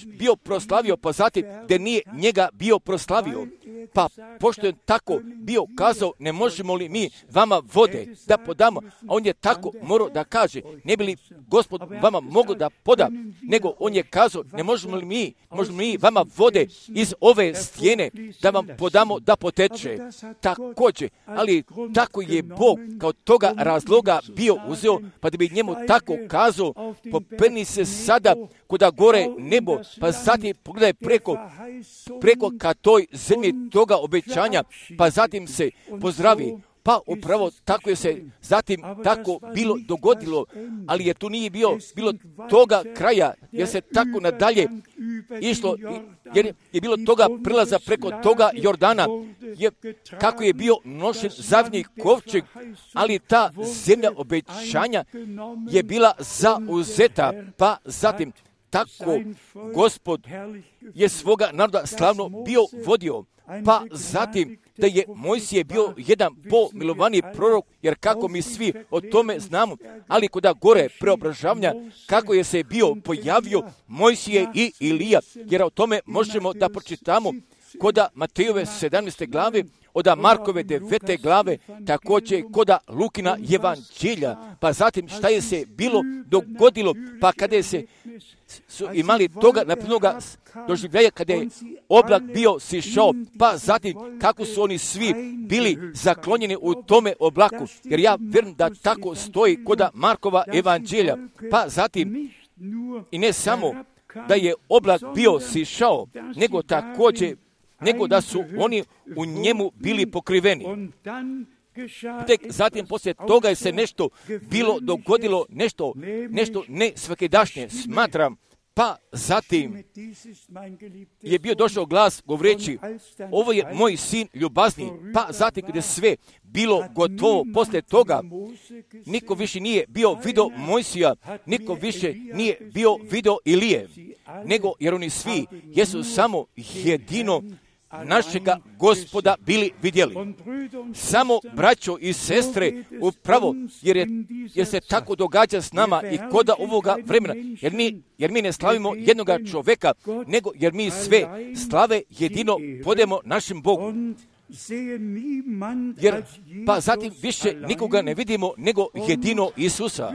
bio proslavio, pa zatim da nije njega bio proslavio. Pa pošto je tako bio kazao, ne možemo li mi vama vode da podamo, a on je tako morao da kaže, ne bi li Gospod vama mogao da poda, nego on je kazao, ne možemo li mi vama vode iz ove stijene da vam podamo da poteče. Također, ali tako je Bog kao toga razloga bio uzeo, pa da bi njemu tako kazao, popeni se sada kuda gore nebo, pa zatim pogledaj preko ka toj zemlji toga obećanja, pa zatim se pozdravi. Pa upravo tako je se zatim tako bilo dogodilo, ali je tu nije bilo toga kraja, jer se tako nadalje išlo, jer je bilo toga prilaza preko toga Jordana, kako je bio nošen zavnji kovčeg, ali ta zemlja obećanja je bila zauzeta, pa zatim tako Gospod je svoga naroda slavno bio vodio, pa zatim da je Mojsije bio jedan pomilovani prorok, jer kako mi svi o tome znamo, ali kuda gore preobražavanja, kako je se bio pojavio Mojsije i Ilija, jer o tome možemo da pročitamo koda Matejove 17. glave, od Markove 9. glave, također koda Lukina evanđelja, pa zatim šta je se bilo dogodilo, pa kada je se su imali toga naprednoga doživljaja kada je oblak bio sišao, pa zatim kako su oni svi bili zaklonjeni u tome oblaku, jer ja vjerujem da tako stoji koda Markova evanđelja, pa zatim i ne samo da je oblak bio sišao, nego također nego da su oni u njemu bili pokriveni. Tek zatim poslije toga je se nešto bilo dogodilo, nešto ne svakidašnje, smatram, pa zatim je bio došao glas govoreći, ovo je moj sin ljubazni, pa zatim kada je sve bilo gotovo, poslije toga niko više nije bio vidio Mojsija, niko više nije bio vidio Ilije, nego jer oni svi jesu samo jedino našega Gospoda bili vidjeli. Samo braćo i sestre, upravo jer se tako događa s nama i koda ovoga vremena, jer mi ne slavimo jednoga čovjeka, nego jer mi sve slave jedino podemo našem Bogu. Jer pa zatim više nikoga ne vidimo nego jedino Isusa.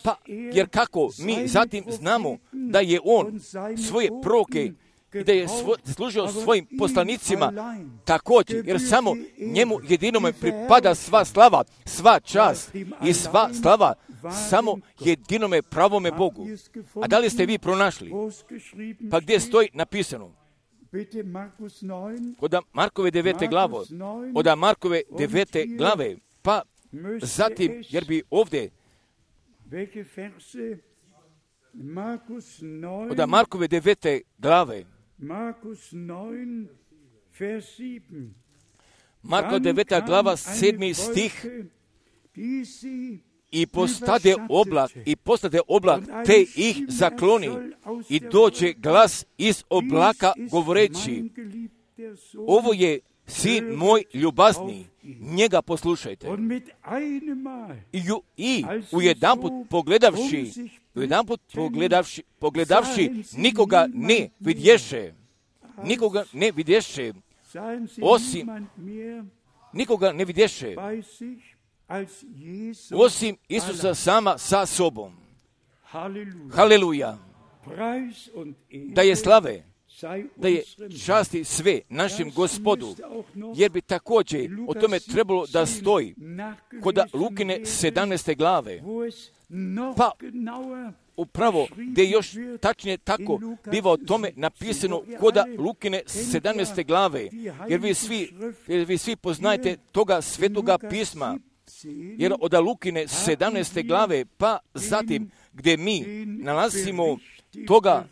Pa jer kako mi zatim znamo da je on svoje proroke i da je služio svojim poslanicima također, jer samo njemu jedinome pripada sva slava, sva čast i sva slava, samo jedinome pravome Bogu. A da li ste vi pronašli? Pa gdje stoji napisano? Od Markove 9. glave, od Markove 9. glave, pa zatim, jer bi ovdje od Markove 9. glave, Marko 9. glava 7. stih, i postade oblak te ih zakloni i dođe glas iz oblaka govoreći, ovo je sin moj ljubazni, njega poslušajte. I ujedanput pogledavši nikoga ne vidješe, osim Isusa sama sa sobom. Haleluja. Da je slave da je časti sve našem Gospodu, jer bi također o tome trebalo da stoji kod Lukine 17. glave, pa upravo gdje još tačnije tako biva o tome napisano kod Lukine 17. glave, jer vi svi poznajete toga svetoga pisma, jer od Lukine 17. glave, pa zatim gdje mi nalazimo toga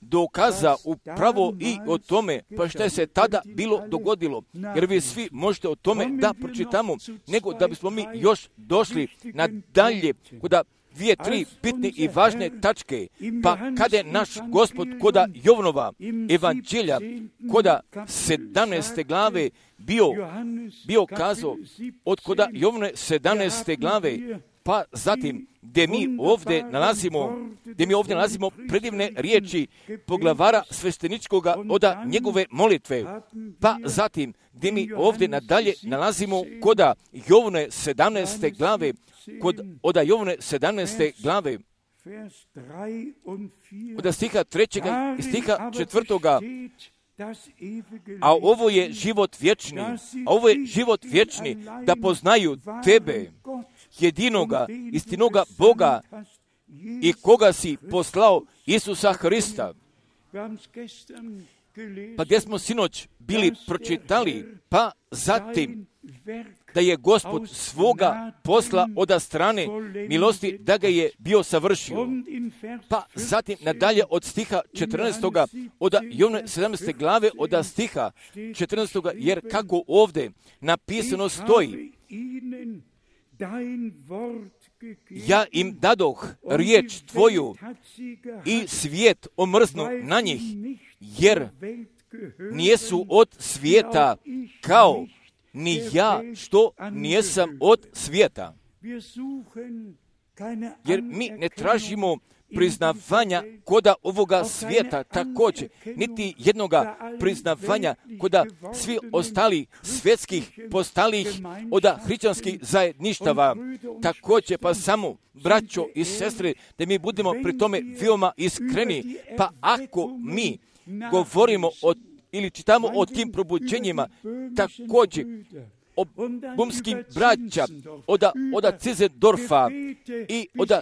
dokaza upravo i o tome, pa što je se tada bilo dogodilo. Jer vi svi možete o tome da pročitamo, nego da bismo mi još došli nadalje kod 2-3 bitne i važne tačke. Pa kada je naš Gospod kod Jovanova evanđelja, kod 17. glave bio kazao, od kod Jovane 17. glave, pa zatim gdje mi ovdje nalazimo predivne riječi poglavara svešteničkoga od njegove molitve, pa zatim gdje mi ovdje nadalje nalazimo kod Jovane 17. glave, od Jovane 17. glave, od stiha 3. i stiha 4. A ovo je život vječni, da poznaju tebe, jedinoga, istinoga Boga i koga si poslao, Isusa Hrista. Pa gdje smo sinoć bili pročitali, pa zatim da je Gospod svoga posla od strane milosti da ga je bio savršio. Pa zatim nadalje od stiha 14. od Jovane 17. glave od stiha 14. jer kako ovdje napisano stoji, ja im dadoh riječ tvoju i svijet omrznu na njih, jer nijesu od svijeta, kao ni ja što nijesam od svijeta. Jer mi ne tražimo priznavanja koda ovoga svijeta također, niti jednoga priznavanja koda svi ostali svjetskih postalih od hrišćanskih zajedništava. Također pa samo, braćo i sestre, da mi budemo pri tome veoma iskreni, pa ako mi govorimo ili čitamo o tim probuđenjima, također o bumskim braća, od Cizendorfa i od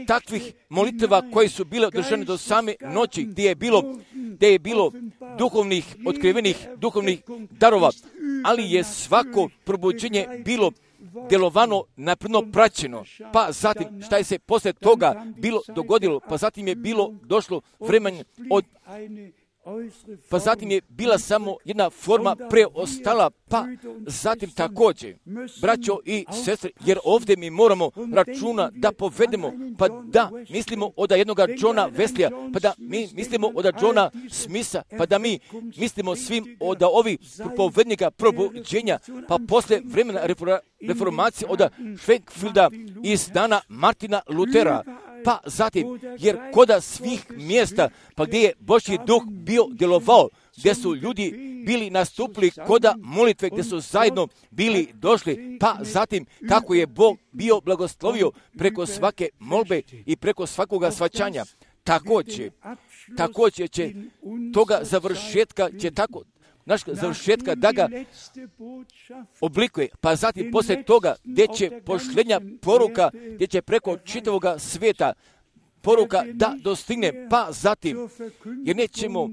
takvih molitva koje su bile održane do same noći, gdje je bilo duhovnih, otkrivenih duhovnih darova, ali je svako probuđenje bilo djelovano napredno praćeno. Pa zatim, šta je se poslije toga bilo dogodilo, pa zatim je došlo vremen pa zatim je bila samo jedna forma preostala, pa zatim također, braćo i sestre, jer ovdje mi moramo računa da povedemo, pa da mislimo od jednoga Johna Wesleya, pa da mi mislimo od Johna Smitha, pa da mi mislimo svim od ovih propovednika probuđenja, pa poslije vremena reformacije od Schwenkfelda iz dana Martina Lutera, pa zatim, jer koda svih mjesta, pa gdje je Božji duh bio djelovao, gdje su ljudi bili nastupili koda molitve, gdje su zajedno bili došli, pa zatim kako je Bog bio blagoslovio preko svake molbe i preko svakoga svaćanja. Također će toga završetka, naš završetka da ga oblikuje, pa zatim poslije toga gdje će pošljenja poruka, gdje će preko čitavoga svijeta poruka da dostigne, pa zatim, jer nećemo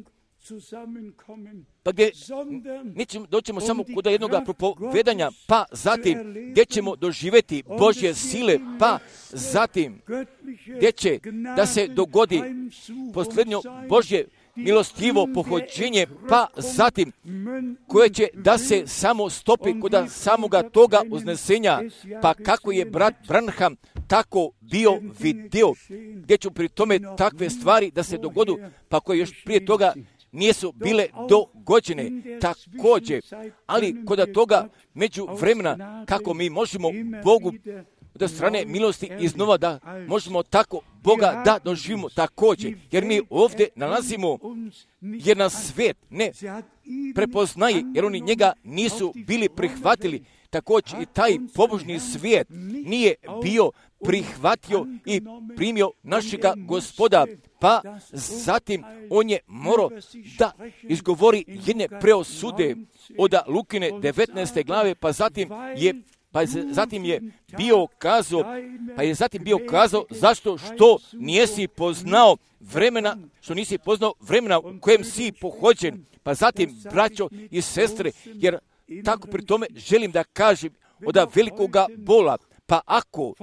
doćemo samo kod jednog propovedanja, pa zatim gdje ćemo doživjeti Božje sile, pa zatim gdje će da se dogodi posljednjo Božje milostivo pohođenje, pa zatim koje će da se samo stopi kod samoga toga uznesenja, pa kako je brat Branham tako bio vidio, gdje ću pri tome takve stvari da se dogodu, pa koje još prije toga nisu bile dogođene također, ali kod toga među vremena kako mi možemo Bogu od strane milosti iznova da možemo tako Boga da doživimo također, jer mi ovdje nalazimo jer nas svijet ne prepoznaje, jer oni njega nisu bili prihvatili, također i taj pobožni svijet nije bio prihvatio i primio našega Gospoda, pa zatim on je morao da izgovori jedne preosude od Lukine 19. glave, pa zatim je bio kazao zašto što nisi poznao vremena u kojem si pohođen. Pa zatim, braćo i sestre, jer tako pri tome želim da kažem od velikoga bola, pa ako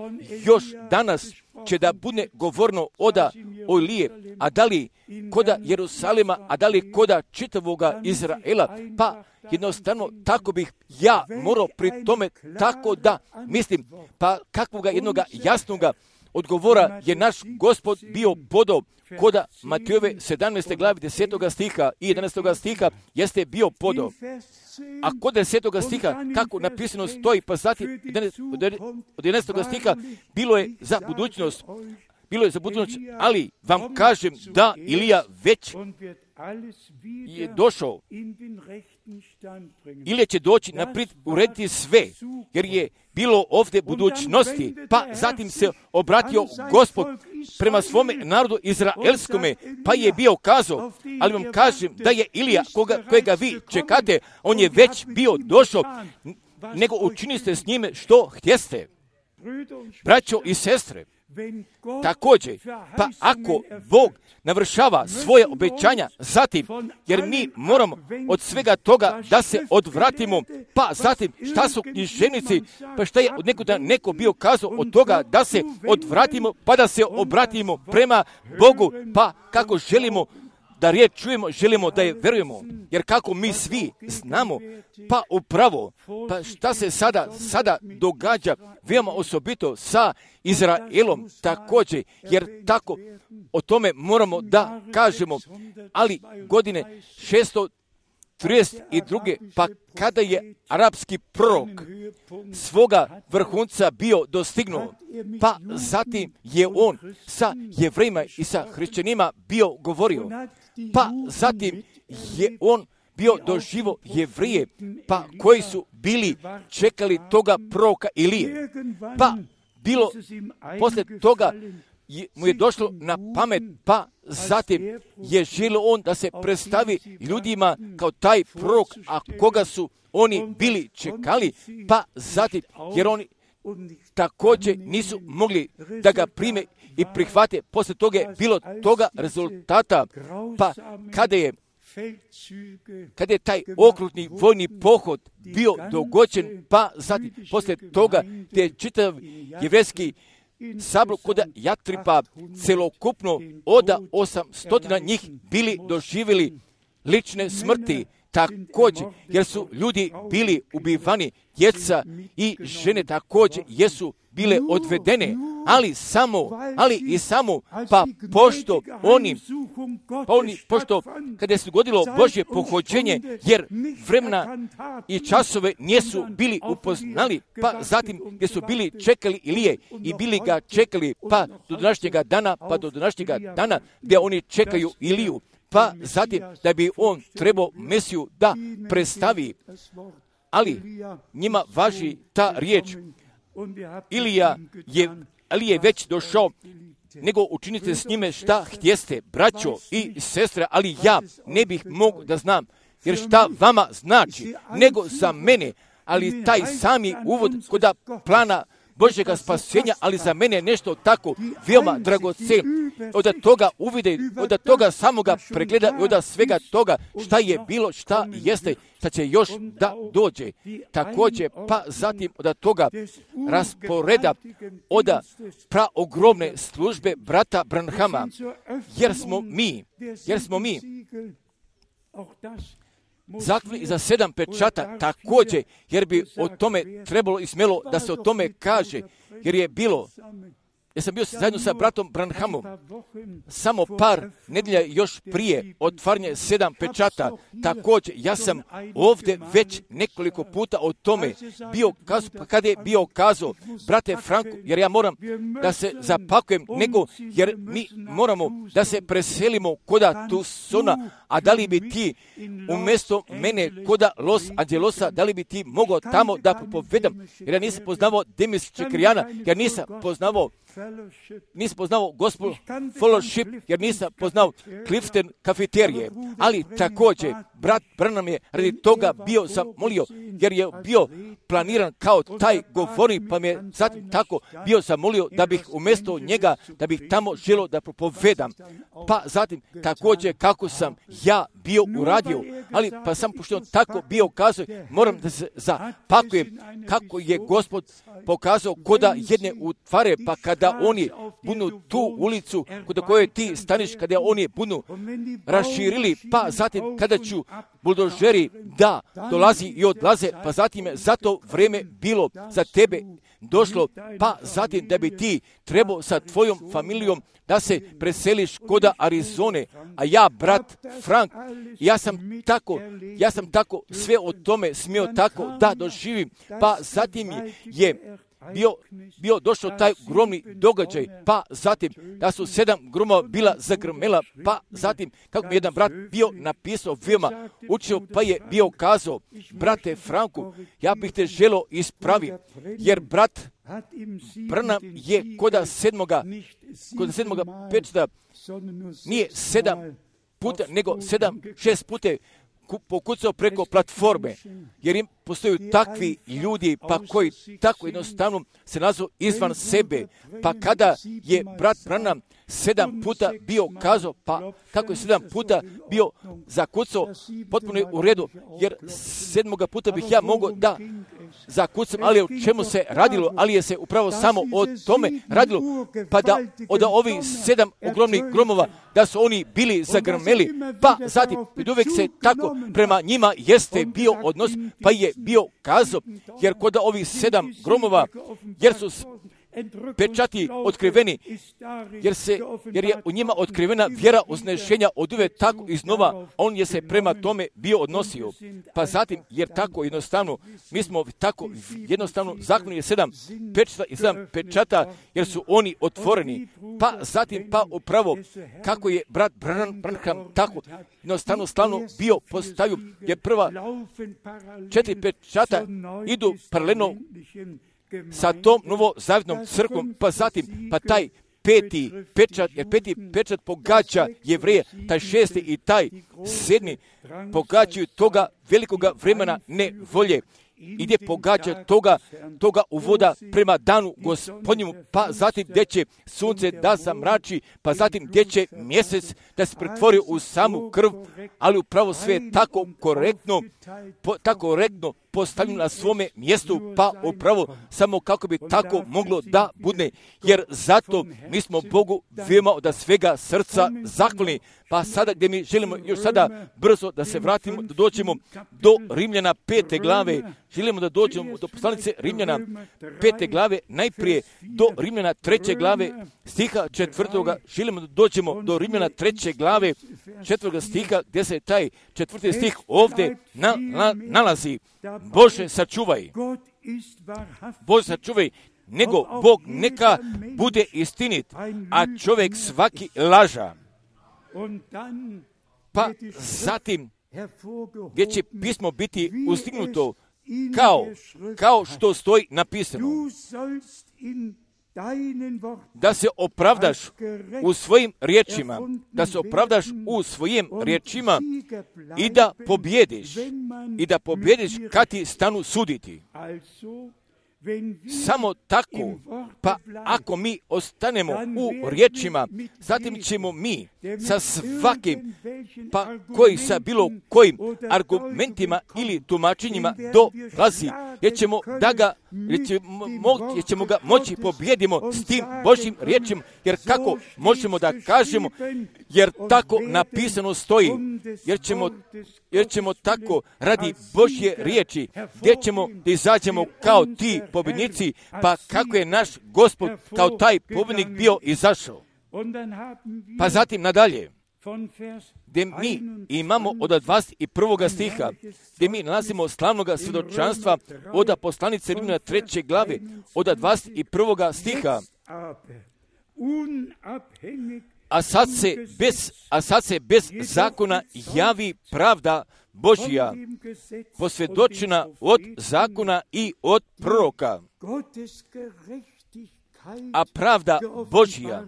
još danas će da bude govorno oda Ilije, a da li koda Jerusalima, a da li koda čitavoga Izraela, pa jednostavno tako bih ja morao pri tome tako da mislim, pa kakvoga jednoga jasnoga odgovora je naš Gospod bio podao koda Matejove 17. glavi 10. stiha i 11. stiha jeste bio podao. A kod 10. stiha, kako napisano stoji, pa zatim od 11. stiha bilo je za budućnost, ali vam kažem da Ilija već je došao. Ilija će doći naprijed urediti sve, jer je bilo ovdje budućnosti, pa zatim se obratio Gospod prema svome narodu izraelskome, pa je bio kazao, ali vam kažem da je Ilija, kojega vi čekate, on je već bio došao, nego učiniste s njime što htjeste. Braćo i sestre, također, pa ako Bog navršava svoje obećanja zatim, jer mi moramo od svega toga da se odvratimo, pa zatim šta su književnici, pa šta je od nekuda neko bio kazao od toga da se odvratimo, pa da se obratimo prema Bogu, pa kako želimo da riječ čujemo, želimo da je verujemo, jer kako mi svi znamo, pa upravo, pa šta se sada događa, veoma osobito sa Izraelom također, jer tako o tome moramo da kažemo, ali godine 632. pa kada je arapski prorok svoga vrhunca bio dostignuo, pa zatim je on sa Jevrejima i sa hrišćanima bio govorio, pa zatim je on bio doživo Jevrije, pa koji su bili čekali toga proroka Ilije, pa bilo poslije toga mu je došlo na pamet, pa zatim je želio on da se predstavi ljudima kao taj prorok, a koga su oni bili čekali, pa zatim, jer oni također nisu mogli da ga prime i prihvate. Poslije toga je bilo toga rezultata, pa kada je taj okrutni vojni pohod bio dogođen, pa zatim poslije toga te čitav jevrejski sabor kod Jatripa celokupno od 800 njih bili doživjeli lične smrti, također jer su ljudi bili ubivani, djeca i žene također jesu bile odvedene, ali samo pa pošto kada se dogodilo Božje pohođenje, jer vremena i časove nisu bili upoznali, pa zatim gdje su bili čekali Ilije i bili ga čekali pa do današnjega dana gdje oni čekaju Iliju, pa zatim da bi on trebao Mesiju da predstavi, ali njima važi ta riječ, Ilija je već došao, nego učinite s njime šta htjeste, braćo i sestre, ali ja ne bih mogao da znam, jer šta vama znači, nego za mene, ali taj sami uvod kod plana Božjega spasenja, ali za mene je nešto tako veoma dragocen, od toga uvide, od toga samoga pregleda i od svega toga šta je bilo, šta jeste, šta će još da dođe. Također, pa zatim od toga rasporeda, od praogromne službe brata Branhama, jer smo mi zakljeli za 7 pečata također, jer bi o tome trebalo i smjelo da se o tome kaže, jer je bilo, ja sam bio zajedno sa bratom Branhamom samo par nedjelja još prije otvaranja 7 pečata. Također, ja sam ovdje već nekoliko puta o tome bio kazao, pa kada je bio kazao, brate Franko, jer ja moram da se zapakujem, jer mi moramo da se preselimo koda Tucsona, a da li bi ti umjesto mene koda Los Angelosa, da li bi ti mogao tamo da propovedam, jer ja nisam poznavao Demis Čekrijana, ja nisam poznavao nisam poznao gospel fellowship, jer nisam poznao Clifton kafeterije, ali također brat Branham je radi toga bio zamolio, jer je bio planiran kao taj govornik, pa mi je zatim tako bio zamolio da bih umjesto njega, da bih tamo želio da propovedam. Pa zatim također kako sam ja bio uradio, ali pa sam pošto on tako bio kazao, moram da se zapakujem kako je Gospod pokazao koda jedne utvare, pa kada oni budu tu ulicu kod koje ti staniš, kada oni budu raširili, pa zatim kada ću buldožeri da dolazi i odlaze, pa zatim je za to vrijeme bilo za tebe došlo, pa zatim da bi ti trebao sa tvojom familijom da se preseliš koda Arizone, a ja, brat Frank, ja sam tako sve o tome smio tako da doživim, pa zatim je bio došao taj gromni događaj, pa zatim da su 7 gromova bila zagrmela, pa zatim kako mi jedan brat bio napisao veoma učio, pa je bio kazao, brate Franku, ja bih te želio ispraviti, jer brat Branham je koda sedmoga pečeta nije 7 puta, nego 6 puta pokucao preko platforme, jer im postoju takvi ljudi, pa koji tako jednostavno se nazvu izvan sebe, pa kada je brat Branham 7 puta bio kazao, pa kako je 7 puta bio zakucao, potpuno je u redu, jer 7. puta bih ja mogao da zakucam, ali o čemu se radilo, ali je se upravo samo o tome radilo, pa da od ovih 7 ogromnih gromova, da su oni bili zagrmeli, pa zatim uvijek se tako prema njima jeste bio odnos, pa je bio kazao, jer kod ovih 7 gromova, jer su pečati otkriveni, jer je u njima otkrivena vjera uznešenja od uvijek tako iznova, on je se prema tome bio odnosio. Pa zatim, jer tako jednostavno, mi smo tako jednostavno, zakon je 7 pečata i 7 pečata, jer su oni otvoreni. Pa zatim, pa upravo, kako je brat Branham tako jednostavno slavno bio postavio, jer prva 4 pečata idu paralelno sa tom novozavjetnom crkvom, pa zatim, pa taj peti pečat pogađa Jevreje, taj 6. i taj 7. pogađaju toga velikoga vremena nevolje, i gdje pogađa toga uvoda prema danu Gospodnjemu, pa zatim gdje će sunce da zamrači, pa zatim gdje će mjesec da se pretvori u samu krv, ali upravo sve tako korektno postavljeno na svome mjestu, pa upravo samo kako bi tako moglo da bude, jer zato mi smo Bogu veoma od svega srca zahvalni. Pa sada gdje mi želimo još sada brzo da se vratimo, da dođemo do Rimljana 5. glave, želimo da dođemo do poslanice Rimljana 5. glave, najprije do Rimljana 3. glave, stiha 4. želimo da dođemo do Rimljana 3. glave, 4. stiha, gdje se taj 4. stih ovdje nalazi. Bože sačuvaj, nego Bog neka bude istinit, a čovjek svaki laža. Pa zatim, gdje će pismo biti ustignuto, kao što stoji napisano, da se opravdaš u svojim riječima, i da pobjediš kad ti stanu suditi. Samo tako, pa ako mi ostanemo u riječima, zatim ćemo mi sa svakim, pa koji sa bilo kojim argumentima ili tumačenjima dolazi, jer ćemo ga moći pobjedimo s tim Božjim riječima, jer kako možemo da kažemo, jer tako napisano stoji, jer ćemo tako radi Božje riječi, gdje ćemo da izađemo kao ti pobjednici, pa kako je naš Gospod kao taj pobjednik bio izašao. Pa zatim nadalje, gdje mi imamo od 21. stiha, gdje mi nalazimo slavnoga svjedočanstva od poslanice Rimljana 3. glave, od 21. stiha. A sad se bez zakona javi pravda Božja, posvjedočena od zakona i od proroka. a pravda Božja,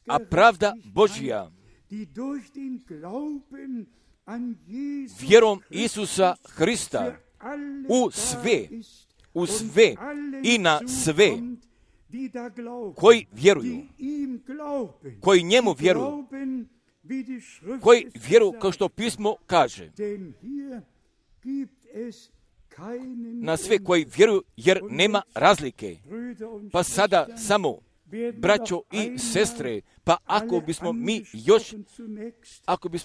a pravda Božja, vjerom Isusa Hrista u sve i na sve koji vjeruju, koji njemu vjeruju, koji vjeruju kao što pismo kaže. Na sve koji vjeruju, jer nema razlike. Pa sada samo, braćo i sestre, pa ako bismo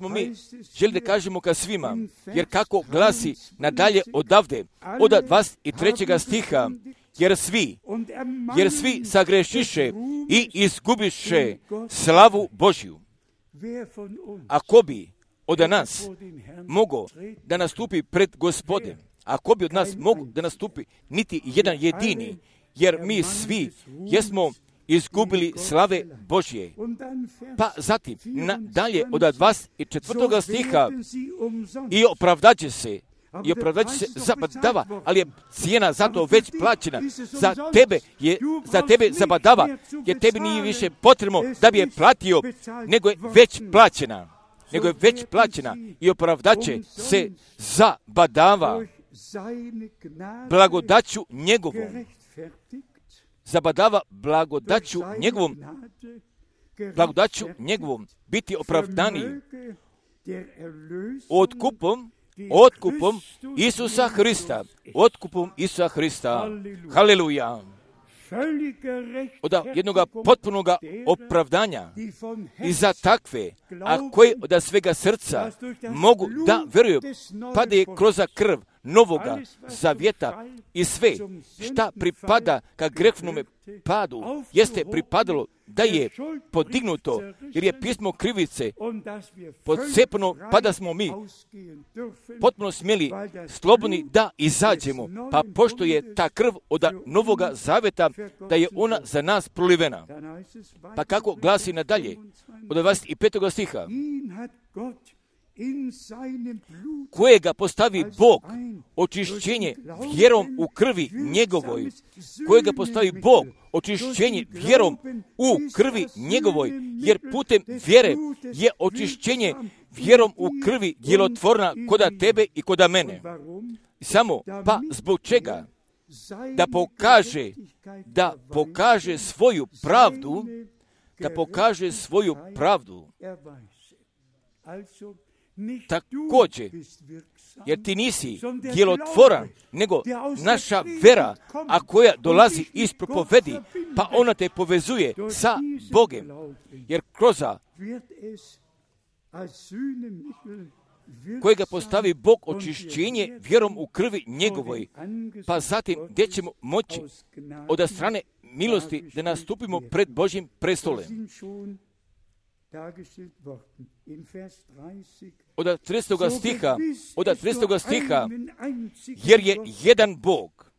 mi želi da kažemo ka svima, jer kako glasi nadalje odavde, od 23. stiha, jer svi sagrešiše i izgubiše slavu Božju. Ako bi od nas mogo da nastupi pred Gospodem, ako bi od nas mogo da nastupi niti jedan jedini, jer mi svi jesmo izgubili slave Božje. Pa zatim, dalje od 24. stiha, i opravdaće se zabadava, ali je cijena za to već plaćena. Za tebe zabadava, jer tebi nije više potrebno da bi je platio, nego je već plaćena. I opravdaće se zabadava blagodaću njegovom. Zabadava blagodaću njegovom biti opravdaniji otkupom Isusa Hrista. Haleluja. Od jednoga potpunoga opravdanja i za takve, a koje od svega srca mogu da vjeruju, pa da je kroz krv novoga zavjeta i sve šta pripada ka grehnome padu, jeste pripadalo da je podignuto, jer je pismo krivice podcepno, pa da smo mi potpuno smjeli slobodni da izađemo, pa pošto je ta krv od novoga zavjeta, da je ona za nas prolivena. Pa kako glasi nadalje, od 25. stiha, kojega postavi Bog očišćenje vjerom u krvi njegovoj, jer putem vjere je očišćenje vjerom u krvi djelotvorna koda tebe i koda mene. Samo pa zbog čega? Da pokaže svoju pravdu. Također, jer ti nisi djelotvoran, nego naša vera, a koja dolazi iz propovedi, pa ona te povezuje sa Bogem, jer kroz kojega postavi Bog očišćenje vjerom u krvi njegovoj, pa zatim gdje ćemo moći od strane milosti da nastupimo pred Božjim prestolem. Od 30. stiha, jer je jedan Bog,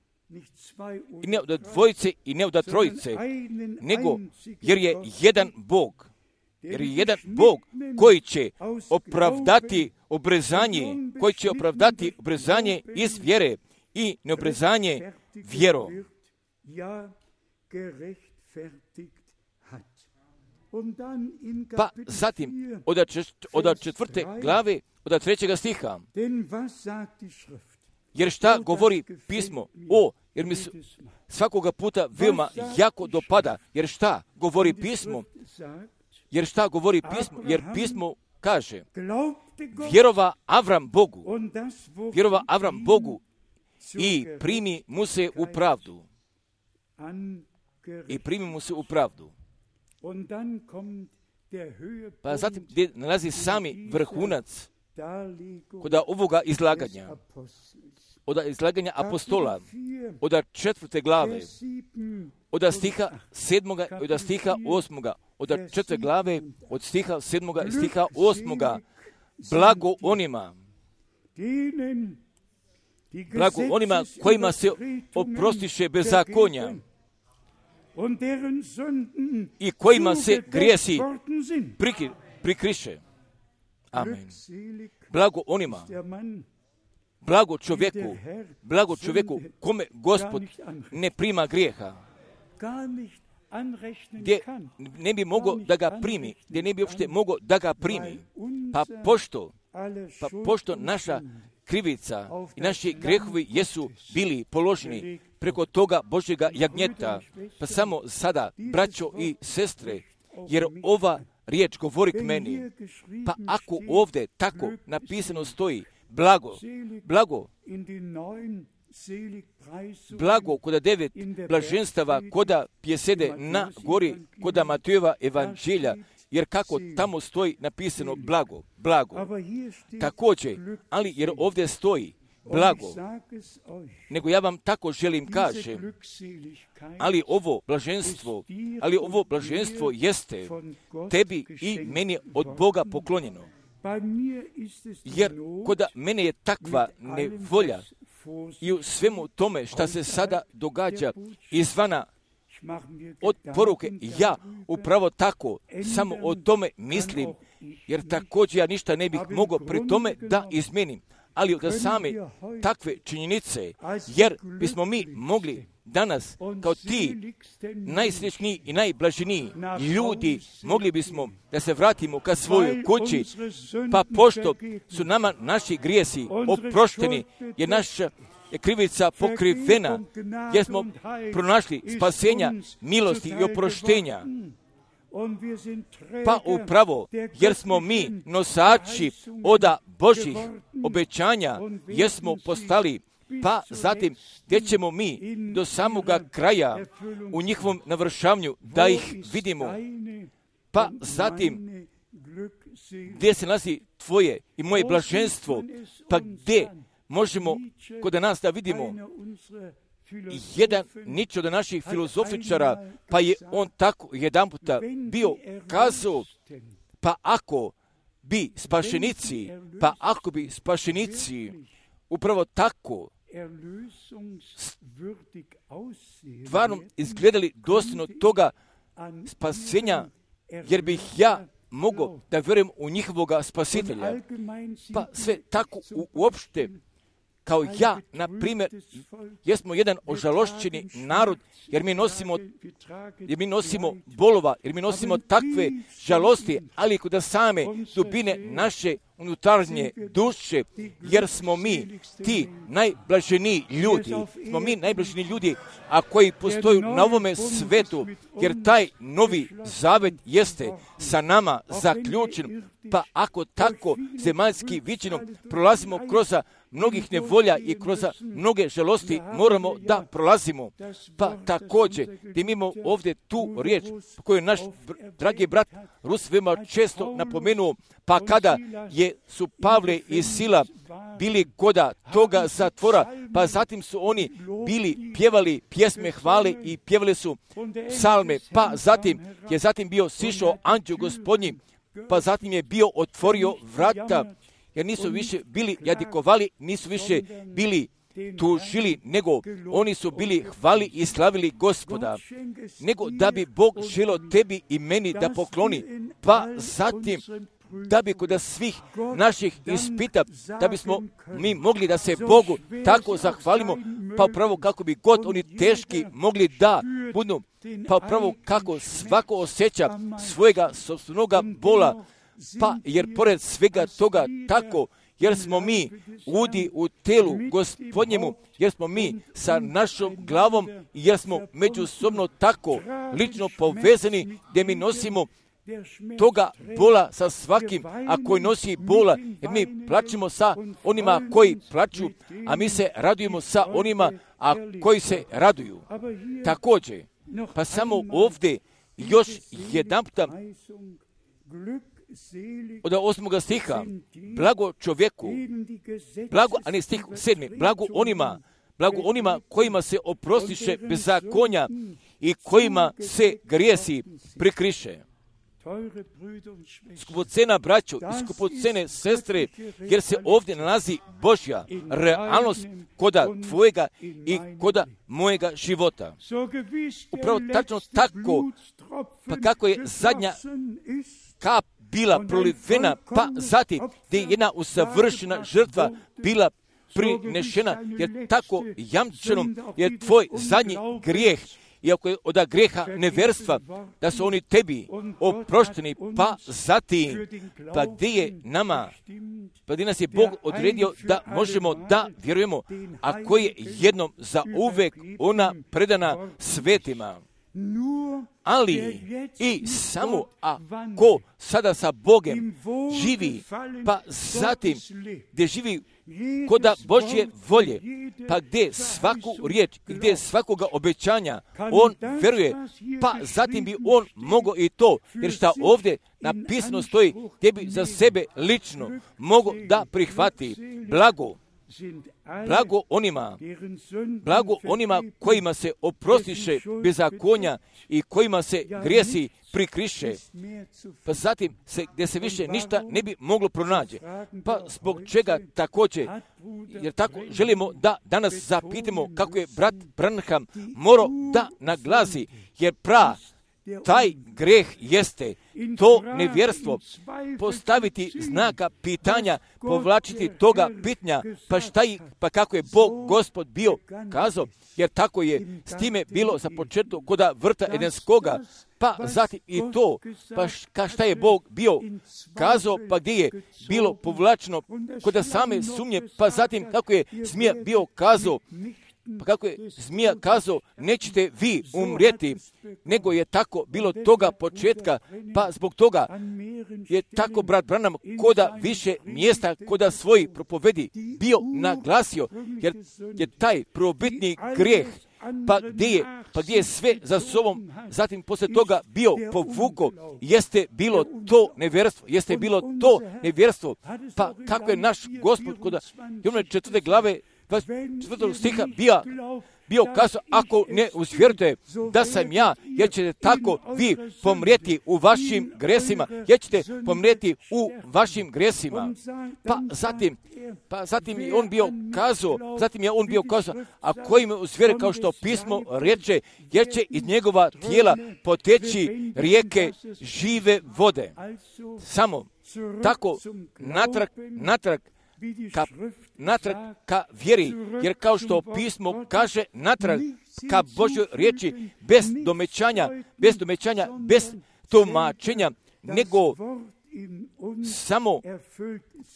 i ne od dvojice i ne od trojice, nego jer je jedan Bog, koji će opravdati obrezanje iz vjere i neobrezanje vjerom. Pa zatim, od 4. glave, od 3. stiha, jer šta govori pismo? Jer mi svakoga puta veoma jako dopada, jer šta govori pismo? Jer pismo kaže, vjerova Avram Bogu i primi mu se u pravdu. Pa zatim gdje nalazi sami vrhunac kod ovoga izlaganja, od izlaganja apostola, od 4. glave, od stiha 7. i od stiha 8. od 4. glave, od stiha 7. i stiha 8. Blago onima kojima se oprostiše bezakonja i kojima se grijesi prikriše. Amen. Blago onima blago čovjeku kome Gospod ne prima grijeha, gdje ne bi mogao da ga primi, gdje ne bi uopšte mogao da ga primi, pa pošto naša krivica i naši grijehovi jesu bili položeni preko toga Božjega jagnjeta, pa samo sada, braćo i sestre, jer ova riječ govori k meni, pa ako ovdje tako napisano stoji, blago koda 9 blaženstava, koda pjesede na gori, koda Matejova evanđelja, jer kako tamo stoji napisano blago. Također, ali jer ovdje stoji blago, nego ja vam tako želim kažem, ali ovo blaženstvo jeste tebi i meni od Boga poklonjeno. Jer koda mene je takva nevolja i u svemu tome šta se sada događa izvana od poruke, ja upravo tako samo o tome mislim, jer također ja ništa ne bih mogao pri tome da izmenim, ali od same takve činjenice, jer bismo mi mogli danas kao ti najsrećniji i najblaženiji ljudi, mogli bismo da se vratimo ka svojoj kući, pa pošto su nama naši grijesi oprošteni, jer naša je krivica pokrivena, jer smo pronašli spasenja, milosti i oproštenja. Pa upravo, jer smo mi nosači oda Božjih obećanja, jer smo postali, pa zatim gdje ćemo mi do samoga kraja u njihovom navršavanju da ih vidimo, pa zatim gdje se nalazi tvoje i moje blaženstvo, pa gdje možemo kod nas da vidimo jedan Nietzsche od naših filozofičara, pa je on tako jedan puta bio kazao, pa ako bi spašenici upravo tako stvarno izgledali dostojno toga spasenja, jer bih ja mogao da vjerujem u njihovoga spasitelja. Pa sve tako uopšte, kao ja, na primjer, jesmo jedan ožalošćeni narod, jer mi nosimo bolova, jer mi nosimo takve žalosti, ali kod same dubine naše unutarnje duše, jer smo mi ti najblaženiji ljudi, a koji postoju na ovome svetu, jer taj novi zavet jeste sa nama zaključen, pa ako tako zemaljski viđenom prolazimo kroz mnogih nevolja i kroz mnoge žalosti moramo da prolazimo. Pa također, gdje mi imamo ovdje tu riječ koju je naš dragi brat Rus veoma često napomenuo, pa kada su Pavle i Sila bili koda toga zatvora, pa zatim su oni pjevali pjesme hvale i pjevali su psalme, pa zatim bio sišao anđeo Gospodnji, pa zatim je bio otvorio vrata, jer nisu više bili jadikovali, nisu više bili tužili, nego oni su bili hvali i slavili Gospoda, nego da bi Bog želio tebi i meni da pokloni, pa zatim da bi kod svih naših ispita, da bismo mi mogli da se Bogu tako zahvalimo, pa upravo kako bi god oni teški mogli da budu, pa upravo kako svako osjeća svojega sopstvenoga bola, pa jer pored svega toga tako, jer smo mi udi u telu Gospodnjemu, jer smo mi sa našom glavom i jer smo međusobno tako lično povezani, gdje mi nosimo toga bola sa svakim, a koji nosi bola, jer mi plačemo sa onima koji plaču, a mi se radujemo sa onima, a koji se raduju. Također, pa samo ovdje još jedan puta od 8. stiha, blago čovjeku, a ne stih 7, blago onima kojima se oprostiše bezakonja i kojima se grijesi prikriše. Skupocena braćo i skupocene sestre, jer se ovdje nalazi Božja realnost koda tvojega i koda mojega života. Upravo tačno tako, pa kako je zadnja kap bila prolivena, pa zatim gdje je jedna usavršena žrtva bila prinešena, jer tako jamčeno je tvoj zadnji grijeh. Iako je od grijeha neverstva, da su oni tebi oprošteni, pa zatim, pa gdje je nama, pa gdje nas je Bog odredio da možemo da vjerujemo, a koji je jednom za uvek ona predana svetima. Ali i samo ako sada sa Bogem živi, pa zatim gdje živi koda Božje volje, pa gdje svaku riječ i gdje svakoga obećanja on veruje, pa zatim bi on mogao i to, jer šta ovdje napisano stoji, gdje bi za sebe lično mogao da prihvati blago onima kojima se oprostiše bezakonja i kojima se grijesi prikriše, pa zatim gdje se više ništa ne bi moglo pronaći. Pa zbog čega također, jer tako želimo da danas zapitamo kako je brat Branham morao da naglasi, jer taj greh jeste to nevjerstvo, postaviti znaka pitanja, povlačiti toga pitanja, pa kako je Bog Gospod bio kazao, jer tako je s time bilo za početak koda vrta Edenskoga, pa zatim i to, pa šta je Bog bio kazao, pa gdje je bilo povlačeno koda same sumnje, pa zatim kako je zmija bio kazao, pa kako je zmija kazao, nećete vi umrijeti, nego je tako bilo toga početka, pa zbog toga je tako brat Branham koda više mjesta koda svoji propovedi bio naglasio, jer je taj prvobitni grijeh, pa gdje je sve za sobom, zatim poslije toga bio povuko, jeste bilo to nevjerstvo, pa kako je naš Gospod koda Jovana 4. glave 24. stiha bio kazao, ako ne uzvjerujete da sam ja, jer ćete tako vi pomrijeti u vašim gresima, Pa zatim je on bio kazao, a koji me uzvjere, kao što pismo reče, jer će iz njegova tijela poteći rijeke žive vode. Samo tako natrag ka vjeri, jer kao što pismo kaže, natrag ka Božjoj riječi, bez tumačenja,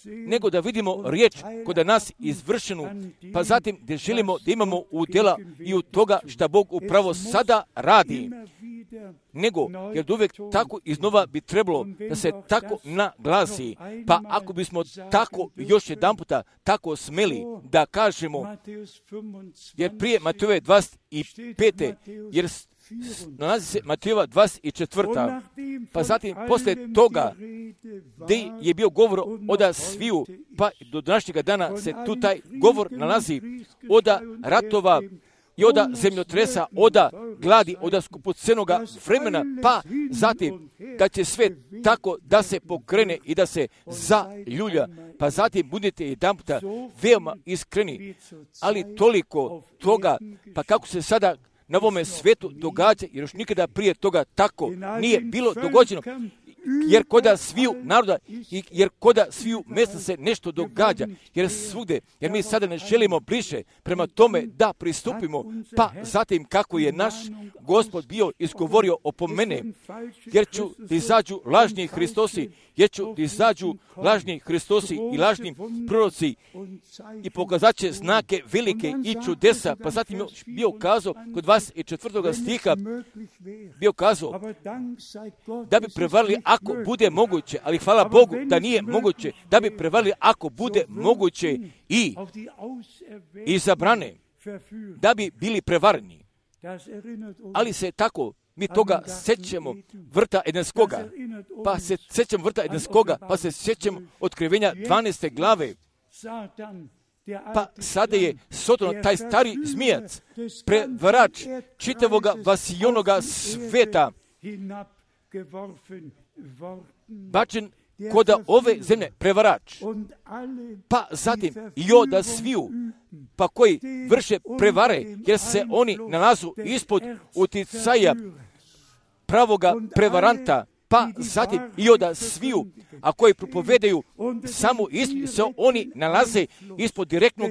nego da vidimo riječ kod nas izvršenu, pa zatim da želimo da imamo udjela i u toga što Bog upravo sada radi. Jer uvijek tako iznova bi trebalo da se tako naglasi, pa ako bismo tako još jedan puta tako smeli da kažemo, jer prije Matejove 25. jer nalazi se Matejova 24. Pa zatim poslije toga gdje je bio govor oda sviju, pa do današnjega dana se tu taj govor nalazi oda ratova i oda zemljotresa, oda gladi, oda skupocenoga vremena, pa zatim kad će sve tako da se pokrene i da se zaljulja, pa zatim budete jedanputa veoma iskreni, ali toliko toga, pa kako se sada na ovome svetu događa, jer još nikada prije toga tako nije bilo dogođeno, jer koda sviju naroda, jer koda sviju mjesta se nešto događa, jer svugdje, jer mi sada ne želimo bliže prema tome da pristupimo, pa zatim kako je naš Gospod bio izgovorio opomene, jer ću da izađu lažni Hristosi, i lažni proroci i pokazat će znake velike i čudesa, pa zatim je bio kazao kod 24. stiha, bio kazao da bi prevarili ako bude moguće, ali hvala Bogu da nije moguće, da bi prevarili ako bude moguće i zabrane, da bi bili prevareni. Ali se tako mi toga sećamo vrta Edenskoga, pa se sećamo otkrivenja 12. glave. Pa sada je Soton, taj stari zmijac, prevarač čitavoga vasijonoga sveta, bačen koda ove zemlje, prevarač. Pa zatim i oda sviju, pa koji vrše prevare, jer se oni nalazu ispod uticaja pravoga prevaranta, pa zatim i od sviju, a koji propovedaju samo istinu, se oni nalaze ispod direktnog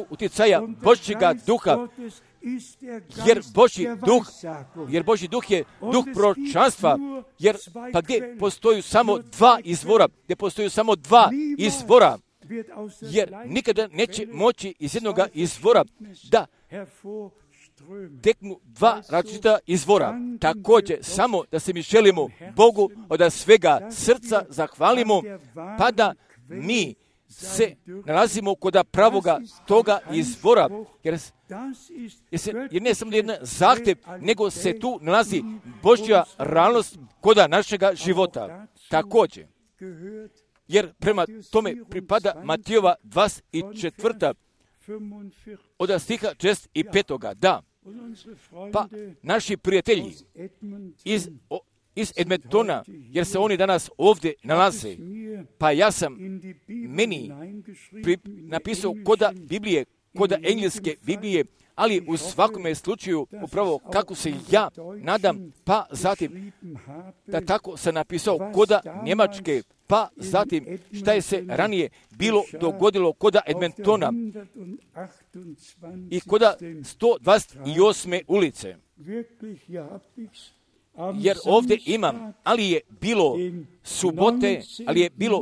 uticaja Božjega duha, jer Božji duh je duh proročanstva, jer pa gdje postoju samo dva izvora, jer nikada neće moći iz jednog izvora da teknu dva različita izvora. Također, samo da se mi želimo Bogu od svega srca zahvalimo, pa da mi se nalazimo kod pravoga toga izvora, jer ne samo jedan zahtjev, nego se tu nalazi Božja realnost kod našega života. Također, jer prema tome pripada Matijova 24. od stiha 65. Da, pa naši prijatelji iz Edmontona, jer se oni danas ovdje nalaze, pa ja sam meni napisao koda Biblije, koda engleske Biblije, ali u svakome slučaju upravo kako se ja nadam, pa zatim da tako sam napisao koda Njemačke, pa zatim šta je se ranije bilo dogodilo koda Edmontona i koda 128. ulice. Jer ovdje imam, ali je bilo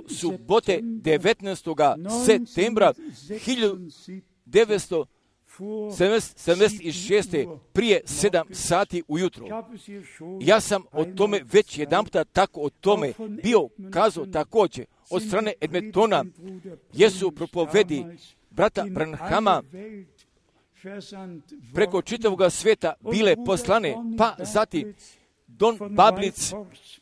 subote 19. septembra 1976. prije 7 sati ujutro. Ja sam o tome već jedanputa tako o tome bio kazao također od strane Edmontona, jesu propovedi brata Branhama preko čitavog svijeta bile poslane, pa zatim Don Bablic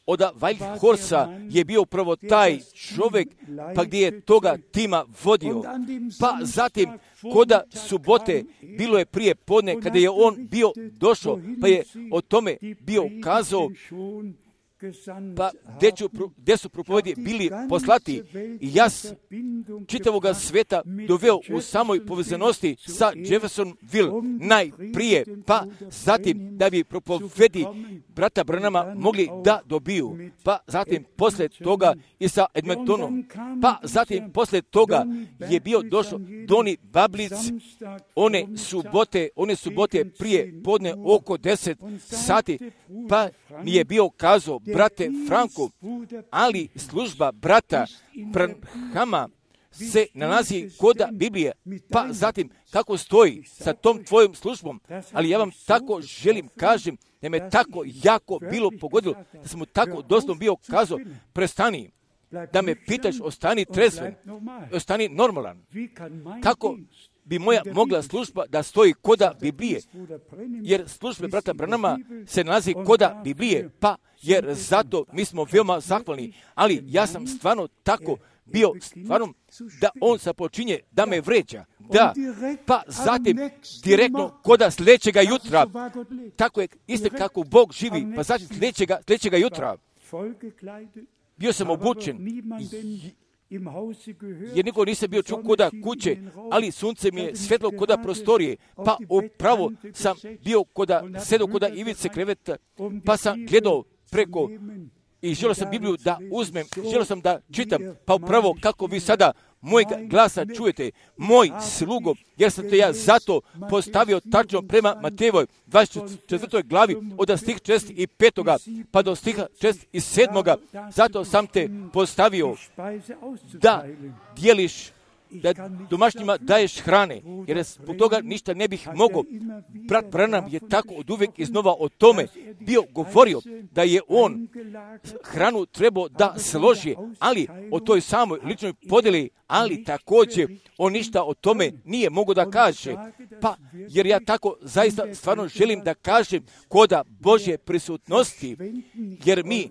od Whitehorsa je bio upravo taj čovjek, pa gdje je toga tima vodio. Pa zatim, koda subote, bilo je prije podne, kada je on bio došao, pa je o tome bio kazao, pa gdje su propovedi bili poslati. I ja čitavoga sveta doveo u samoj povezanosti sa Jeffersonville najprije, pa zatim da bi propovedi brata Branhama mogli da dobiju, pa zatim poslije toga i sa Edmontonom, pa zatim poslije toga je bio došao Doni Bablic, one subote prije podne oko 10 sati, pa mi je bio kazao, brate Franko, ali služba brata Branhama se nalazi koda Biblije, pa zatim kako stoji sa tom tvojom službom, ali ja vam tako želim kažem da me tako jako bilo pogodilo, da sam mu tako doslovno bio kazao, prestani, da me pitaš, ostani trezven, ostani normalan. Kako bi moja mogla služba da stoji koda Biblije, jer službe brata Branhama se nalazi koda Biblije, pa jer zato mi smo veoma zahvalni, ali ja sam stvarno tako bio stvarno da on započinje da me vređa, da, pa zatim direktno koda sljedećega jutra, tako je isto kako Bog živi, pa zatim sljedećega jutra bio sam obučen, jer niko nisam bio čuo koda kuće, ali sunce mi je svetlo koda prostorije, pa upravo sam bio sedao koda ivice kreveta, pa sam gledao preko i želio sam Bibliju da uzmem, želio sam da čitam, pa upravo kako vi sada mojeg glasa čujete, moj slugo, jer sam te ja zato postavio tačno prema Matejevoj 24. glavi od stiha 65. pa do stiha 67. Zato sam te postavio da dijeliš, da domaćnjima daješ hrane, jer zbog toga ništa ne bih mogao. Brat Branham je tako od uvijek iznova o tome bio govorio da je on hranu trebao da složi, ali o toj samoj ličnoj podjeli, ali također on ništa o tome nije mogao da kaže. Pa, jer ja tako zaista stvarno želim da kažem koda Božje prisutnosti, jer mi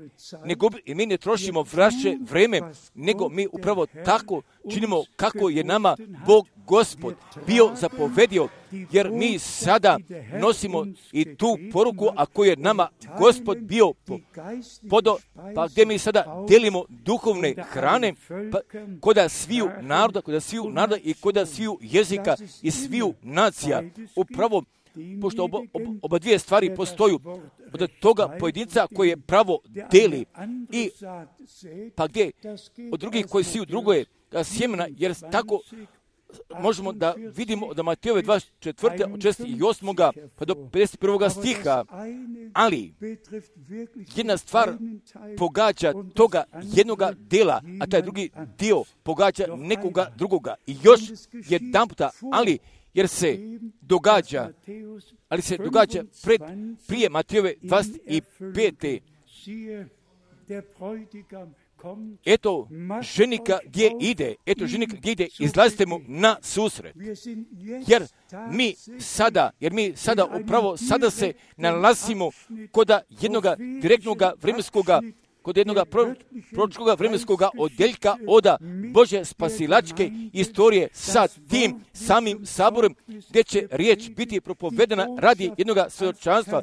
ne trošimo vaše vreme, nego mi upravo tako činimo kako je nama Bog Gospod bio zapovedio, jer mi sada nosimo i tu poruku, a koju je nama Gospod bio podao, pa gdje mi sada delimo duhovne hrane, pa koda sviju naroda i koda sviju jezika i sviju nacija. Upravo pošto oba dvije stvari postoju od toga pojedinca koji je pravo deli i pa gdje od drugih koji siju drugoje sjemena, jer tako možemo da vidimo da Matejove 24. od 6. i 8. pa do 51. stiha, ali jedna stvar pogađa toga jednoga dela, a taj drugi dio pogađa nekoga drugoga. I još jedan puta, ali jer se događa prije Matejove 25. Eto ženika gdje ide, izlazite mu na susret. Jer mi sada upravo sada se nalazimo kod jednog direktnog kod jednog proročkog vremenskog odjeljka od Božje spasilačke istorije sa tim samim saborom, gdje će riječ biti propovedena radi jednog svjedočanstva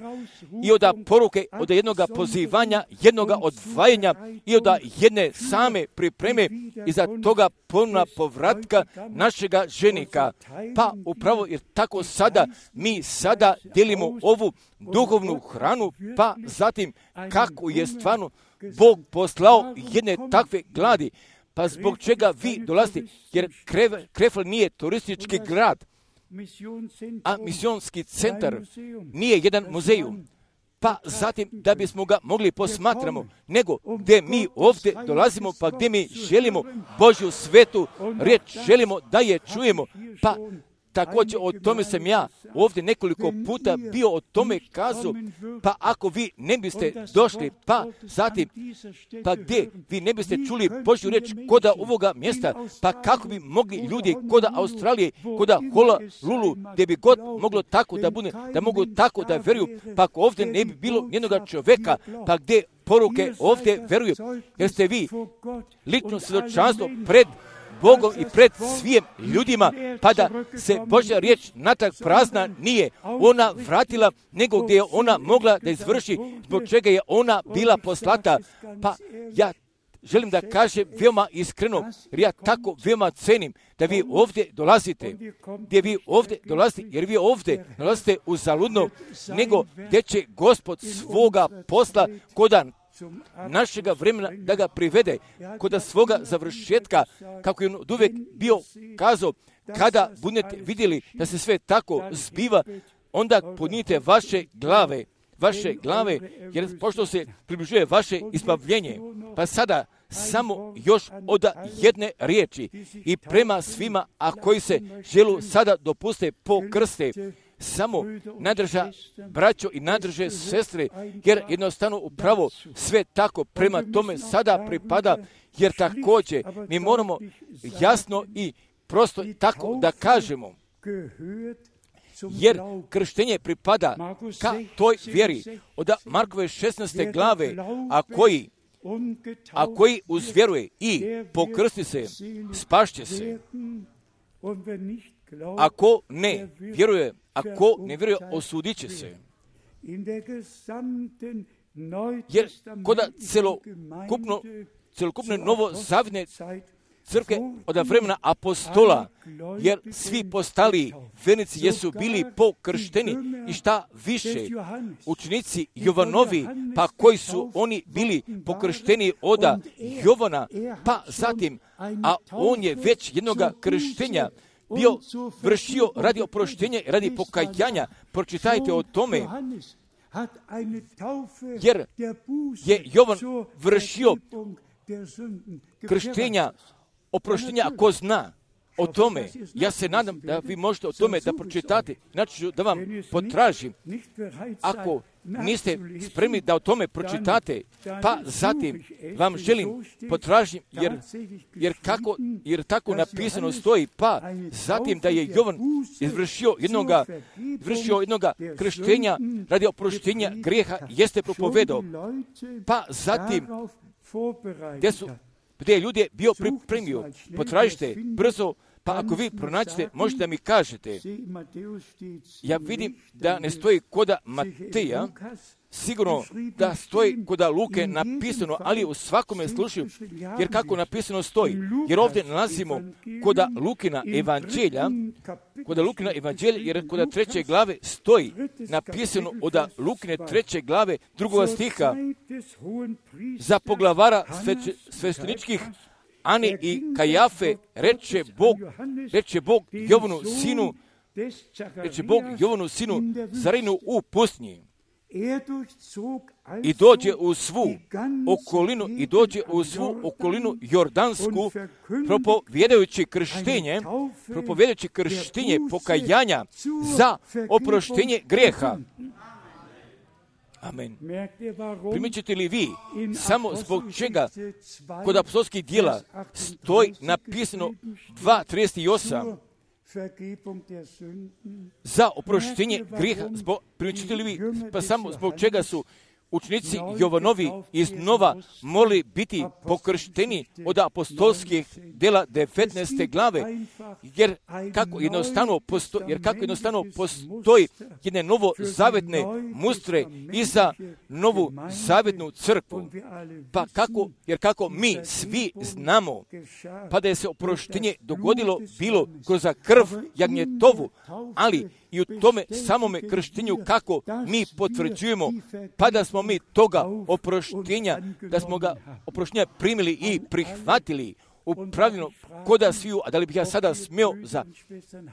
i od poruke, od jednog pozivanja, jednog odvajanja i od jedne same pripreme i za toga ponovna povratka našega ženika. Pa upravo jer tako sada mi sada delimo ovu duhovnu hranu, pa zatim kako je stvarno Bog poslao jedne takve gladi, pa zbog čega vi dolazite, jer Krefl nije turistički grad, a misionski centar nije jedan muzej, pa zatim da bismo ga mogli posmatramo, nego gdje mi ovdje dolazimo, pa gdje mi želimo Božju svetu riječ, želimo da je čujemo, pa također o tome sam ja ovdje nekoliko puta bio o tome kazao, pa ako vi ne biste došli, pa zatim, pa gdje vi ne biste čuli Božju riječ koda ovoga mjesta, pa kako bi mogli ljudi koda Australije, koda Honolulu, gdje bi god moglo tako da bude, da mogu tako da veruju, pa ako ovdje ne bi bilo jednoga čovjeka, pa gdje poruke ovdje veruju, jer ste vi lično svjedočanstvo pred Bogom i pred svim ljudima, pa da se Božja riječ natrag prazna nije ona vratila, nego gdje je ona mogla da izvrši, zbog čega je ona bila poslata. Pa ja želim da kažem veoma iskreno, jer ja tako veoma cenim da vi ovdje dolazite, jer vi ovdje dolazite uzaludno, nego gdje će Gospod svoga posla koda našega vremena da ga privede kod svoga završetka, kako je on uvijek bio kazao, kada budete vidjeli da se sve tako zbiva, onda podnijete vaše glave, jer pošto se približuje vaše izbavljenje. Pa sada samo još od jedne riječi i prema svima, a koji se želu sada dopuste pokrste, samo nadrža braćo i nadrže sestre, jer jednostavno upravo sve tako prema tome sada pripada, jer također mi moramo jasno i prosto tako da kažemo, jer krštenje pripada ka toj vjeri od Markove 16. glave, a koji uzvjeruje i pokrsti se, spašće se. Ako ne vjeruje, osudit će se. Jer kod celokupne novozavjetne crkve od vremena apostola, jer svi postali vernici jesu bili pokršteni i šta više učenici Jovanovi, pa koji su oni bili pokršteni od Jovana, pa zatim, a on je već jednoga krštenja bio vršio radi oproštenja i radi pokajanja. Pročitajte o tome, jer je Jovan vršio krštenja, oproštenja, ako zna o tome. Ja se nadam da vi možete o tome da pročitate, znači ću da vam potražim. Ako niste spremni da o tome pročitate, pa zatim vam želim potražim, jer tako napisano stoji, pa zatim da je Jovan izvršio jednoga krštenja radi oproštenja grijeha, jeste propovedao, pa zatim gdje je ljudi bio pripremio. Potražite brzo, pa ako vi pronaćete, možete da mi kažete. Ja vidim da ne stoji koda Mateja, sigurno da stoji kod Luke napisano, ali u svakome slučaju, jer kako napisano stoji, jer ovdje nalazimo kod Lukina evanđelja, jer kod 3. glave stoji napisano od Lukine 3. glave 2. stiha za poglavara svešteničkih Ane i Kajafe reče Bog Jovanu sinu Zarinu u pustinji. I dođe u svu okolinu Jordansku, propovjedajući krštenje pokajanja za oproštenje grijeha. Amen. Primijećete li vi samo zbog čega kod apostolskih djela stoji napisano 2.38 za oproštenje grijeha? Primijećete li vi pa samo zbog čega su učenici Jovanovi iznova morali biti pokršteni od apostolskih djela 19. glave, jer kako jednostavno postoji jedne novozavetne mustre i za novu zavetnu crkvu. Jer kako mi svi znamo, pa da je se oproštenje dogodilo bilo kroz krv jagnjetovu, ali i u tome samome krštenju kako mi potvrđujemo, pa da smo mi toga oproštenja, da smo ga oproštenja primili i prihvatili upravljeno koda sviju. A da li bih ja sada smio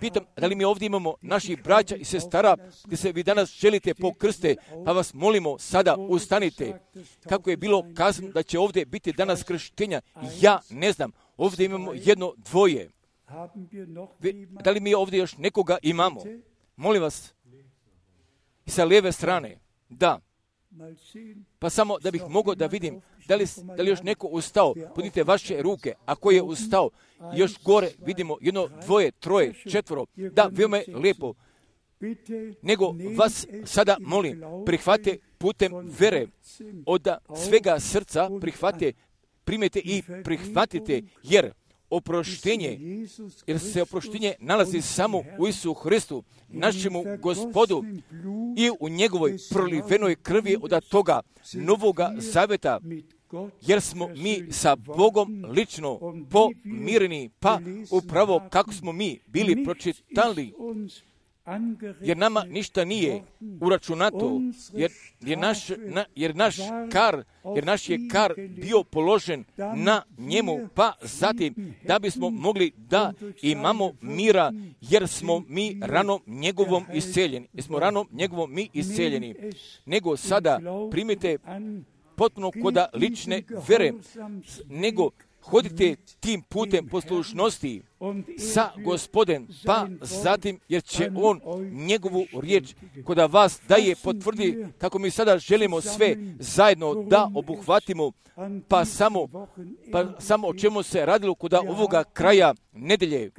pitam, da li mi ovdje imamo naših braća i sestara gdje se vi danas želite pokrste, pa vas molimo sada ustanite. Kako je bilo kazano da će ovdje biti danas krštenja, ja ne znam, ovdje imamo jedno, dvoje. Da li mi ovdje još nekoga imamo? Molim vas, i sa lijeve strane, da. Pa samo da bih mogao da vidim, da li još neko ustao, podnite vaše ruke, ako je ustao, još gore vidimo jedno, dvoje, troje, četvoro, da, veoma je lijepo. Nego vas sada molim, prihvate putem vere, od svega srca primite i prihvatite, jer se oproštenje nalazi samo u Isusu Hristu, našemu Gospodu, i u njegovoj prolivenoj krvi od toga novoga zaveta, jer smo mi sa Bogom lično pomireni, pa upravo kako smo mi bili pročitali, jer nama ništa nije uračunato, jer naš je kar bio položen na njemu, pa zatim da bismo mogli da imamo mira, jer smo mi ranom njegovom isceljeni. Nego sada primite potpuno koda lične vere, nego hodite tim putem poslušnosti sa Gospodem, pa zatim, jer će On njegovu riječ koda vas daje potvrdi, kako mi sada želimo sve zajedno da obuhvatimo, pa samo o čemu se radilo koda ovoga kraja nedelje,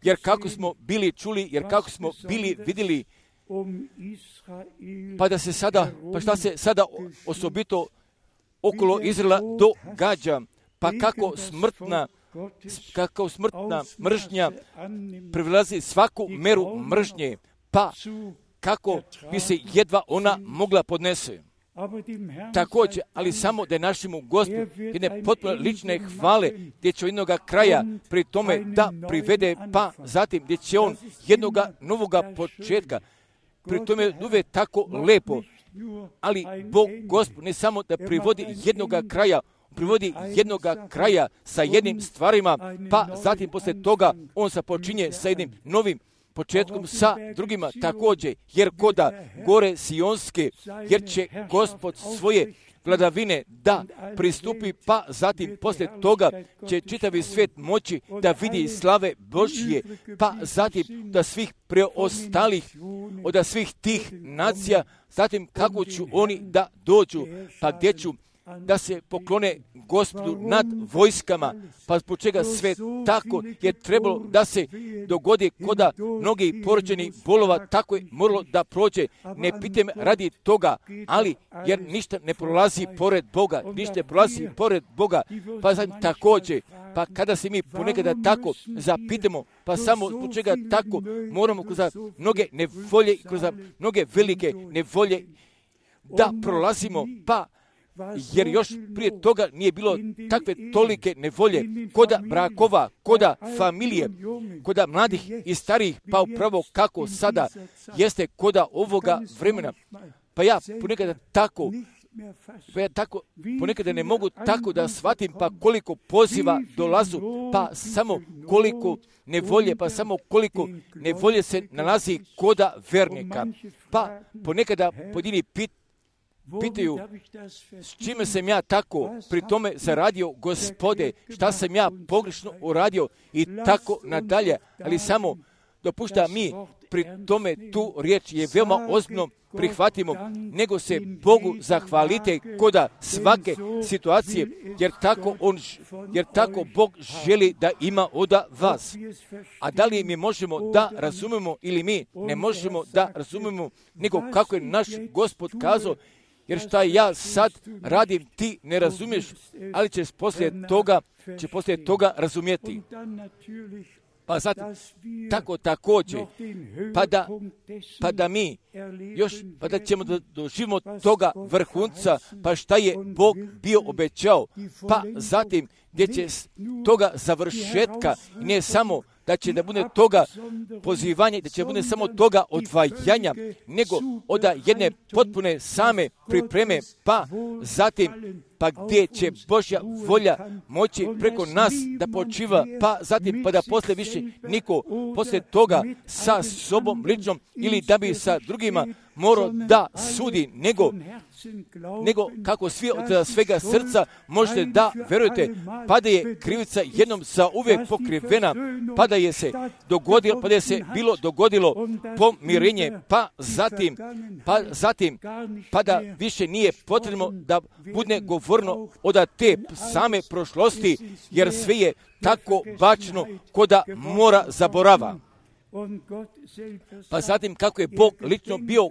jer kako smo bili čuli, jer kako smo bili vidjeli, pa šta se sada osobito okolo Izraela događa, pa kako smrtna mržnja previlazi svaku meru mržnje, pa kako bi se jedva ona mogla podnese. Također, ali samo da je našemu Gospodu jedne potpuno lične hvale, gdje će jednoga kraja pri tome da privede, pa zatim gdje će on jednoga novoga početka. Pri tome je uvijek tako lepo, ali Bog Gospod ne samo da privodi jednoga kraja, privodi jednoga kraja sa jednim stvarima, pa zatim poslije toga on započinje sa jednim novim početkom sa drugima također, jer koda gore Sionske, jer će Gospod svoje vladavine da pristupi, pa zatim poslije toga će čitavi svijet moći da vidi slave Božje, pa zatim da svih preostalih, od svih tih nacija, zatim kako ću oni da dođu, pa gdje ću da se poklone Gospodu nad vojskama, pa zbog čega sve tako je trebalo da se dogodi koda mnogi porođeni bolova, tako je moralo da prođe. Ne pitam radi toga, ali jer ništa ne prolazi pored Boga, pa znam također, pa kada se mi ponekada tako zapitamo, pa samo zbog čega tako moramo kroz mnoge nevolje, kroz mnoge velike nevolje, da prolazimo, pa jer još prije toga nije bilo takve tolike nevolje koda brakova, koda familije, koda mladih i starijih, pa upravo kako sada jeste koda ovoga vremena. Pa ja ponekada ne mogu tako da shvatim, pa koliko poziva dolazu, pa samo koliko nevolje, pa samo koliko nevolje se nalazi koda vernika. Pa ponekada pojedini pitaju s čime sam ja tako pri tome zaradio, Gospode, šta sam ja pogrešno uradio i tako nadalje, ali samo dopušta mi pri tome tu riječ je veoma ozbiljno prihvatimo, nego se Bogu zahvalite koda svake situacije, jer tako Bog želi da ima od vas. A da li mi možemo da razumemo ili mi ne možemo da razumemo, nego kako je naš Gospod kazao, jer šta ja sad radim, ti ne razumiješ, ali ćeš poslije toga razumjeti. Pa sad, tako također, pa da ćemo da doživimo toga vrhunca, pa šta je Bog bio obećao, pa zatim gdje će toga završetka, ne samo da će da bude toga pozivanja, da će bude samo toga odvajanja, nego od jedne potpune same pripreme, pa zatim, pa gdje će Božja volja moći preko nas da počiva, pa zatim, pa da poslije više niko poslije toga sa sobom ličnom ili da bi sa drugima morao da sudi, nego kako svi od svega srca možete da verujete, pa da je krivica jednom za uvijek pokrivena, pa da je se bilo dogodilo pomirenje, pa zatim, pa da više nije potrebno da bude govorno od te same prošlosti, jer sve je tako bačeno koda mora zaborava. Pa zatim kako je Bog lično bio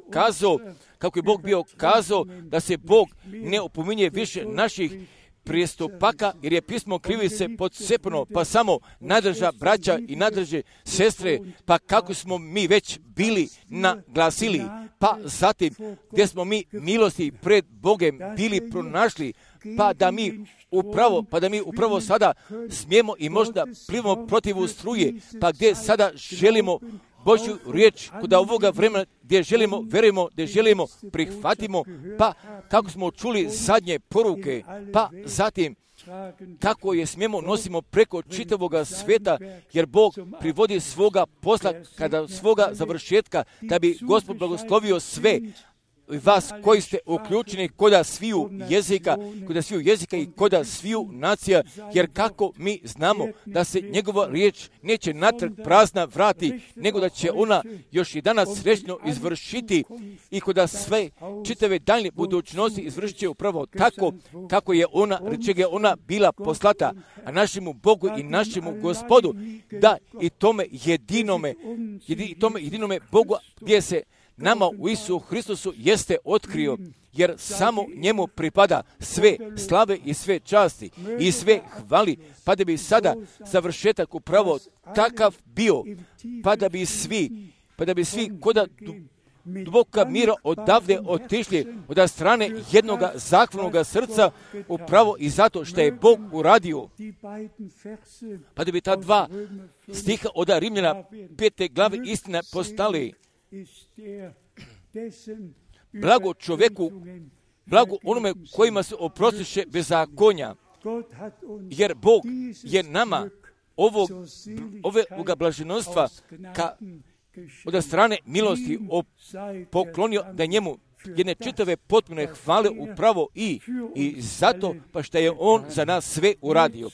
kazao da se Bog ne opominje više naših prijestupaka, jer je pismo krivice podsepno, pa samo nadrža braća i nadrže sestre, pa kako smo mi već bili naglasili, pa zatim gdje smo mi milosti pred Bogem bili pronašli, pa da mi upravo sada smijemo i možda plivamo protiv struje, pa gdje sada želimo Božju riječ kod ovoga vremena, gdje želimo, verujemo, gdje želimo, prihvatimo, pa kako smo čuli zadnje poruke, pa zatim kako je smijemo nosimo preko čitavoga sveta, jer Bog privodi svoga posla kada svoga završetka, da bi Gospod blagoslovio sve vas koji ste uključeni koda sviju jezika i koda sviju nacija, jer kako mi znamo da se njegova riječ neće natrag prazna vrati, nego da će ona još i danas srećno izvršiti i koda sve čitave daljnje budućnosti izvršit će upravo tako kako je čega je ona bila poslata, a našemu Bogu i našemu Gospodu, da i tome jedinome Bogu gdje se nama u Isusu Hristusu jeste otkrio, jer samo njemu pripada sve slave i sve časti i sve hvali, pa da bi sada završetak upravo takav bio, pa da bi svi koda duboka mira odavde otišli od strane jednoga zahvalnoga srca, upravo i zato što je Bog uradio. Pa da bi ta dva stiha od Rimljana 5. glave istina postali blago čovjeku, blago onome kojima se oprostiše bezakonja, jer Bog je nama ovoga blaženostva od strane milosti poklonio da njemu jedne čitave potpune hvale upravo i zato pa što je on za nas sve uradio.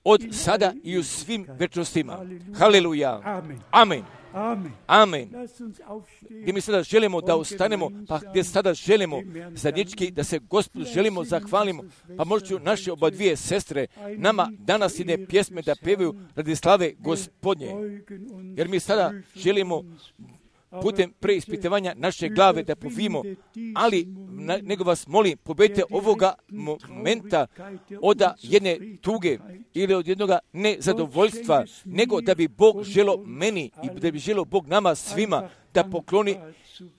Od sada i u svim večnostima. Haleluja. Amen. Amen. Gdje mi sada želimo da ustanemo, pa gdje sada želimo zajednički da se Gospodu želimo zahvalimo, pa možda naše oba dvije sestre nama danas jedne pjesme da pevaju radi slave Gospodnje. Jer mi sada želimo putem preispitivanja naše glave da povimo, ali nego vas molim, pobedite ovoga momenta od jedne tuge ili od jednoga nezadovoljstva, nego da bi Bog želo meni i da bi želo Bog nama svima da pokloni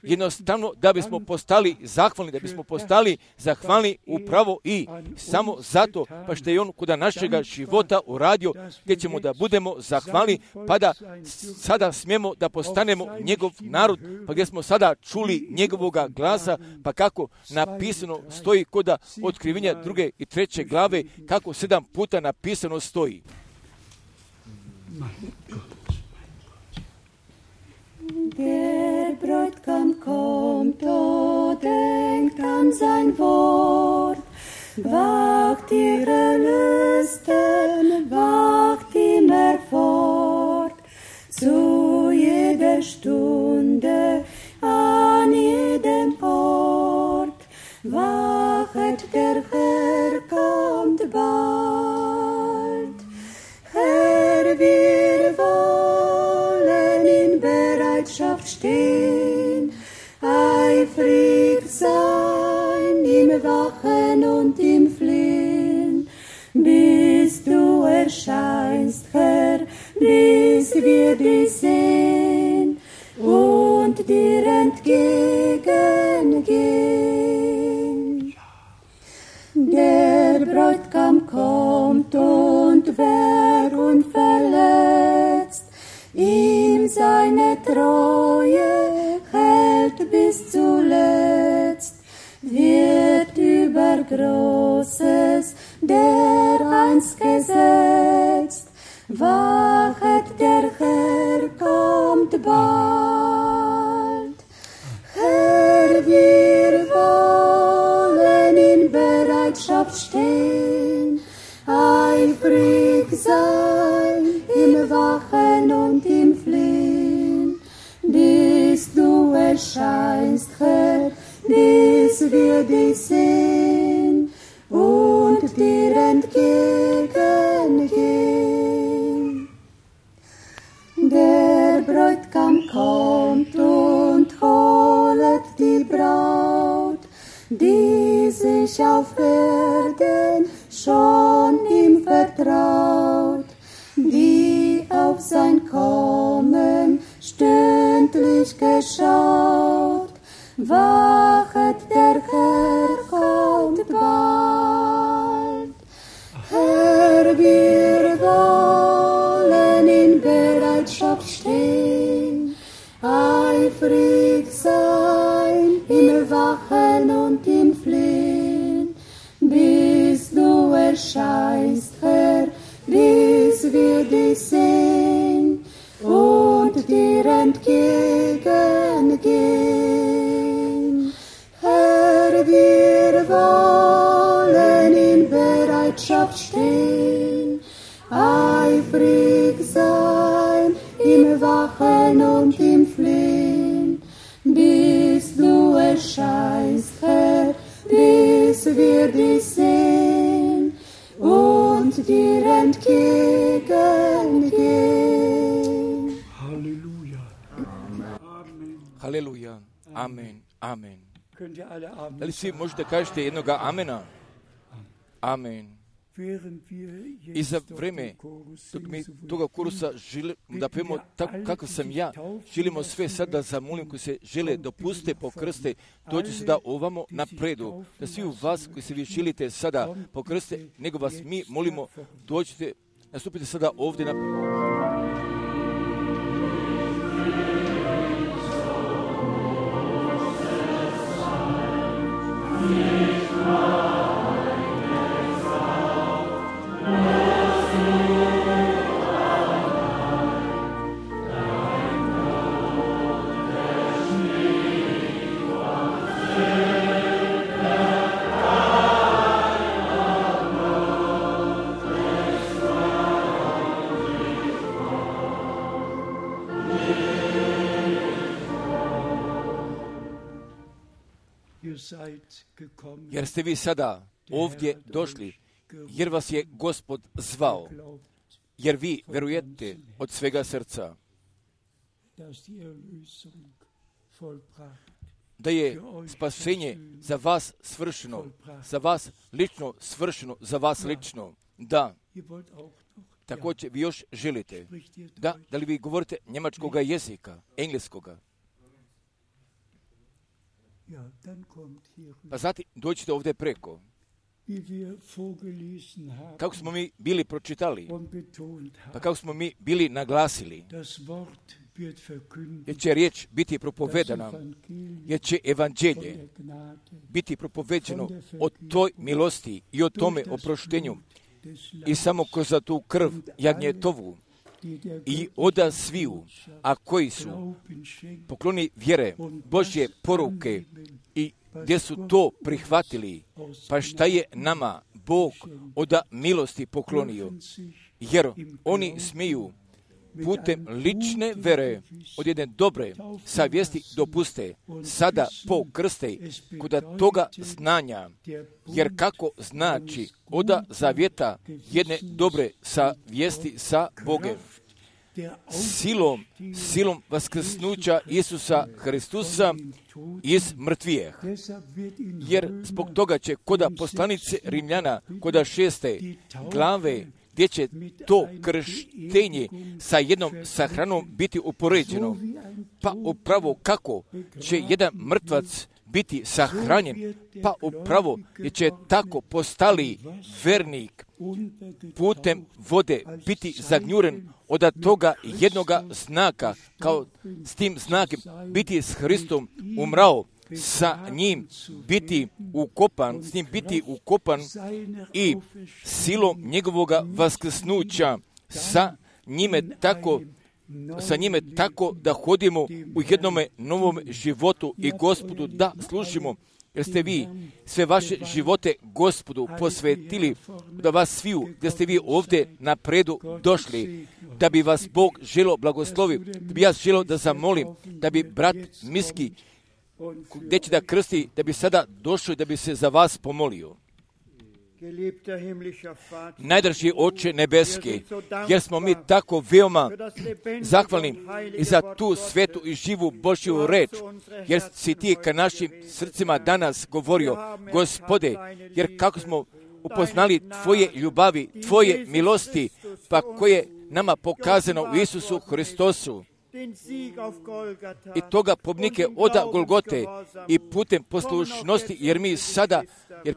jednostavno da bismo postali zahvalni, da bismo postali zahvalni upravo i samo zato, pa što je on kod našega života uradio, gdje ćemo da budemo zahvalni, pa da sada smijemo da postanemo njegov narod, pa gdje smo sada čuli njegovoga glasa, pa kako napisano stoji kod otkrivenja 2. i 3. glave, kako 7 puta napisano stoji. Der Bräutigam kommt, o denkt an sein Wort, wacht ihre Lüsten, wacht immer fort, zu jeder Stunde, an jedem Ort, wachet der Herr kommt bald. Herr, wir wollen in Bereitschaft stehen, eifrig sein im Wachen und im Flehen, bis du erscheinst, Herr, bis wir dich sehen und dir entgegengehen. Der Bräutigam kommt und wer unverletzt ihm seine Treue hält bis zuletzt, wird über Großes dereinst gesetzt. Wachet, der Herr kommt bald. Herr, wir wollen in Bereitschaft stehen, eifrig sein im Wachen und im Flehen, bis du erscheinst, Herr, bis wir dich sehen und dir entgegengehen. Der Bräutigam kommt und holet die Braut, die sich auf Erden schon ihm vertraut, die auf sein Kommen stündlich geschaut. Wachet, der Herr kommt bald. Herr, wir wollen in Bereitschaft stehen, eifrig sein im Wachen und im Flehen, bis du erscheinst, Herr, bis wir dich sehen und dir entgegengehen. Herr, wir wollen in Bereitschaft stehen, eifrig sein im Wachen und im Flehen, bis du erscheinst, Herr, bis wir dich sehen und dir entgegengehen. Halleluja. Halleluja. Amen. Amen. Könnt ihr alle Amen Da li svi sagen? možete kažete jednoga amena? Amen. Während wir I za jetzt vreme, dok Chorus dok mi singen, so toga kurusa da pijemo tako kako sam ja, želimo sve sad da zamolim koji se žele dopuste pokrste, dođu sada ovamo napredu, da svi u vas koji se vi želite sada pokrste, nego vas mi molimo, dođite, nastupite sada ovdje na... ihr seid gekommen, Jer ste vi sada ovdje došli, jer vas je Gospod zvao, glaubt, jer vi verujete od svega srca dass die Erlösung vollbracht, da je spasenje za vas svršeno, za vas lično svršeno, za vas lično. Da, ihr wollt auch noch, također vi još želite. spricht ihr Da li vi govorite njemačkoga jezika, engleskoga? Ja, dann kommt hier, pa zatim dođite ovdje preko. wie wir vorgelesen haben Kako smo mi bili pročitali, und betont pa haben, kako smo mi bili naglasili, das Wort wird verkündigt, jer će riječ biti das propovedana, Evangelium jer će von evanđelje der Gnade, biti propoveđeno o toj milosti i o tome durch das oproštenju Blut des i Lammes, samo kroz tu krv jagnjetovu die der i oda sviju, a koji su Glauben schenkt pokloni vjere Božje poruke i gdje su to prihvatili, pa šta je nama Bog od milosti poklonio, jer oni smiju putem lične vere od jedne dobre savjesti dopuste sada po krste kod toga znanja, jer kako znači oda zavjeta jedne dobre savjesti sa Bogem, silom vaskrsnuća Isusa Hristusa iz mrtvijeh. Jer zbog toga će koda poslanice Rimljana, koda 6. glave, gdje će to krštenje sa jednom sahranom biti upoređeno. Pa upravo kako će jedan mrtvac biti sahranjen, pa upravo je će tako postali vernik putem vode biti zagnjuren od toga jednoga znaka, kao s tim znakom biti s Hristom umrao, sa njim biti ukopan, s njim biti ukopan i silom njegovoga vaskrsnuća sa njime tako da hodimo u jednome novom životu i Gospodu da služimo. Jer ste vi sve vaše živote Gospodu posvetili, da vas sviju, da ste vi ovdje napredu došli, da bi vas Bog želo blagoslovi, da bi ja želo da zamolim, da bi brat Miski, gdje će da krsti, da bi sada došao i da bi se za vas pomolio. Najdraži Oče nebeski, jer smo mi tako veoma zahvalni i za tu svetu i živu Božju reč, jer si ti ka našim srcima danas govorio, Gospode, jer kako smo upoznali Tvoje ljubavi, Tvoje milosti, pa koje nama pokazano u Isusu Hristosu, i toga pobnike oda Golgote i putem poslušnosti, jer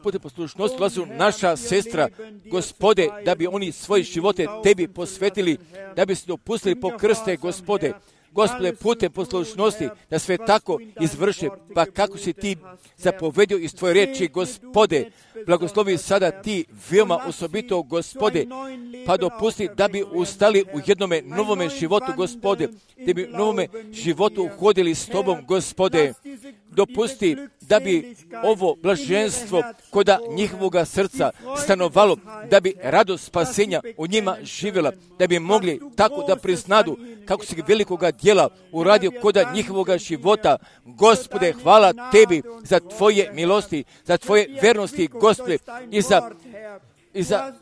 putem poslušnosti ulazu naša sestra, Gospode, da bi oni svoje živote Tebi posvetili, da bi se dopustili po krste, Gospode, putem poslušnosti, da sve tako izvrše, pa kako si ti zapovedio iz Tvoje riječi, Gospode, blagoslovi sada ti veoma osobito, Gospode, pa dopusti da bi ustali u jednome novome životu, Gospode, da bi u novome životu uhodili s Tobom, Gospode, dopusti da bi ovo blaženstvo koda njihovoga srca stanovalo, da bi radost spasenja u njima živjela, da bi mogli tako da priznadu kako si velikoga djela uradio koda njihovoga života. Gospode, hvala Tebi za Tvoje milosti, za Tvoje vernosti, Gospode, i za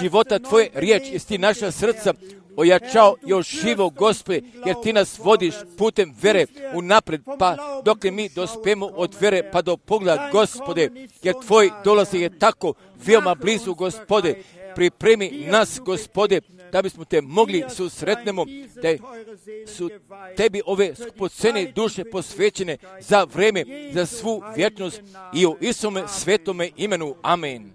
života Tvoje riječi, jer ti naša srca ojačao još živo, Gospode, jer ti nas vodiš putem vere unapred, pa dok mi dospemo od vere pa do pogleda, Gospode, jer Tvoj dolazi je tako veoma blizu, Gospode, pripremi nas, Gospode, da bismo Te mogli susretnemo, da su Tebi ove skupocene duše posvećene za vreme, za svu vječnost i u Isome svetome imenu. Amen.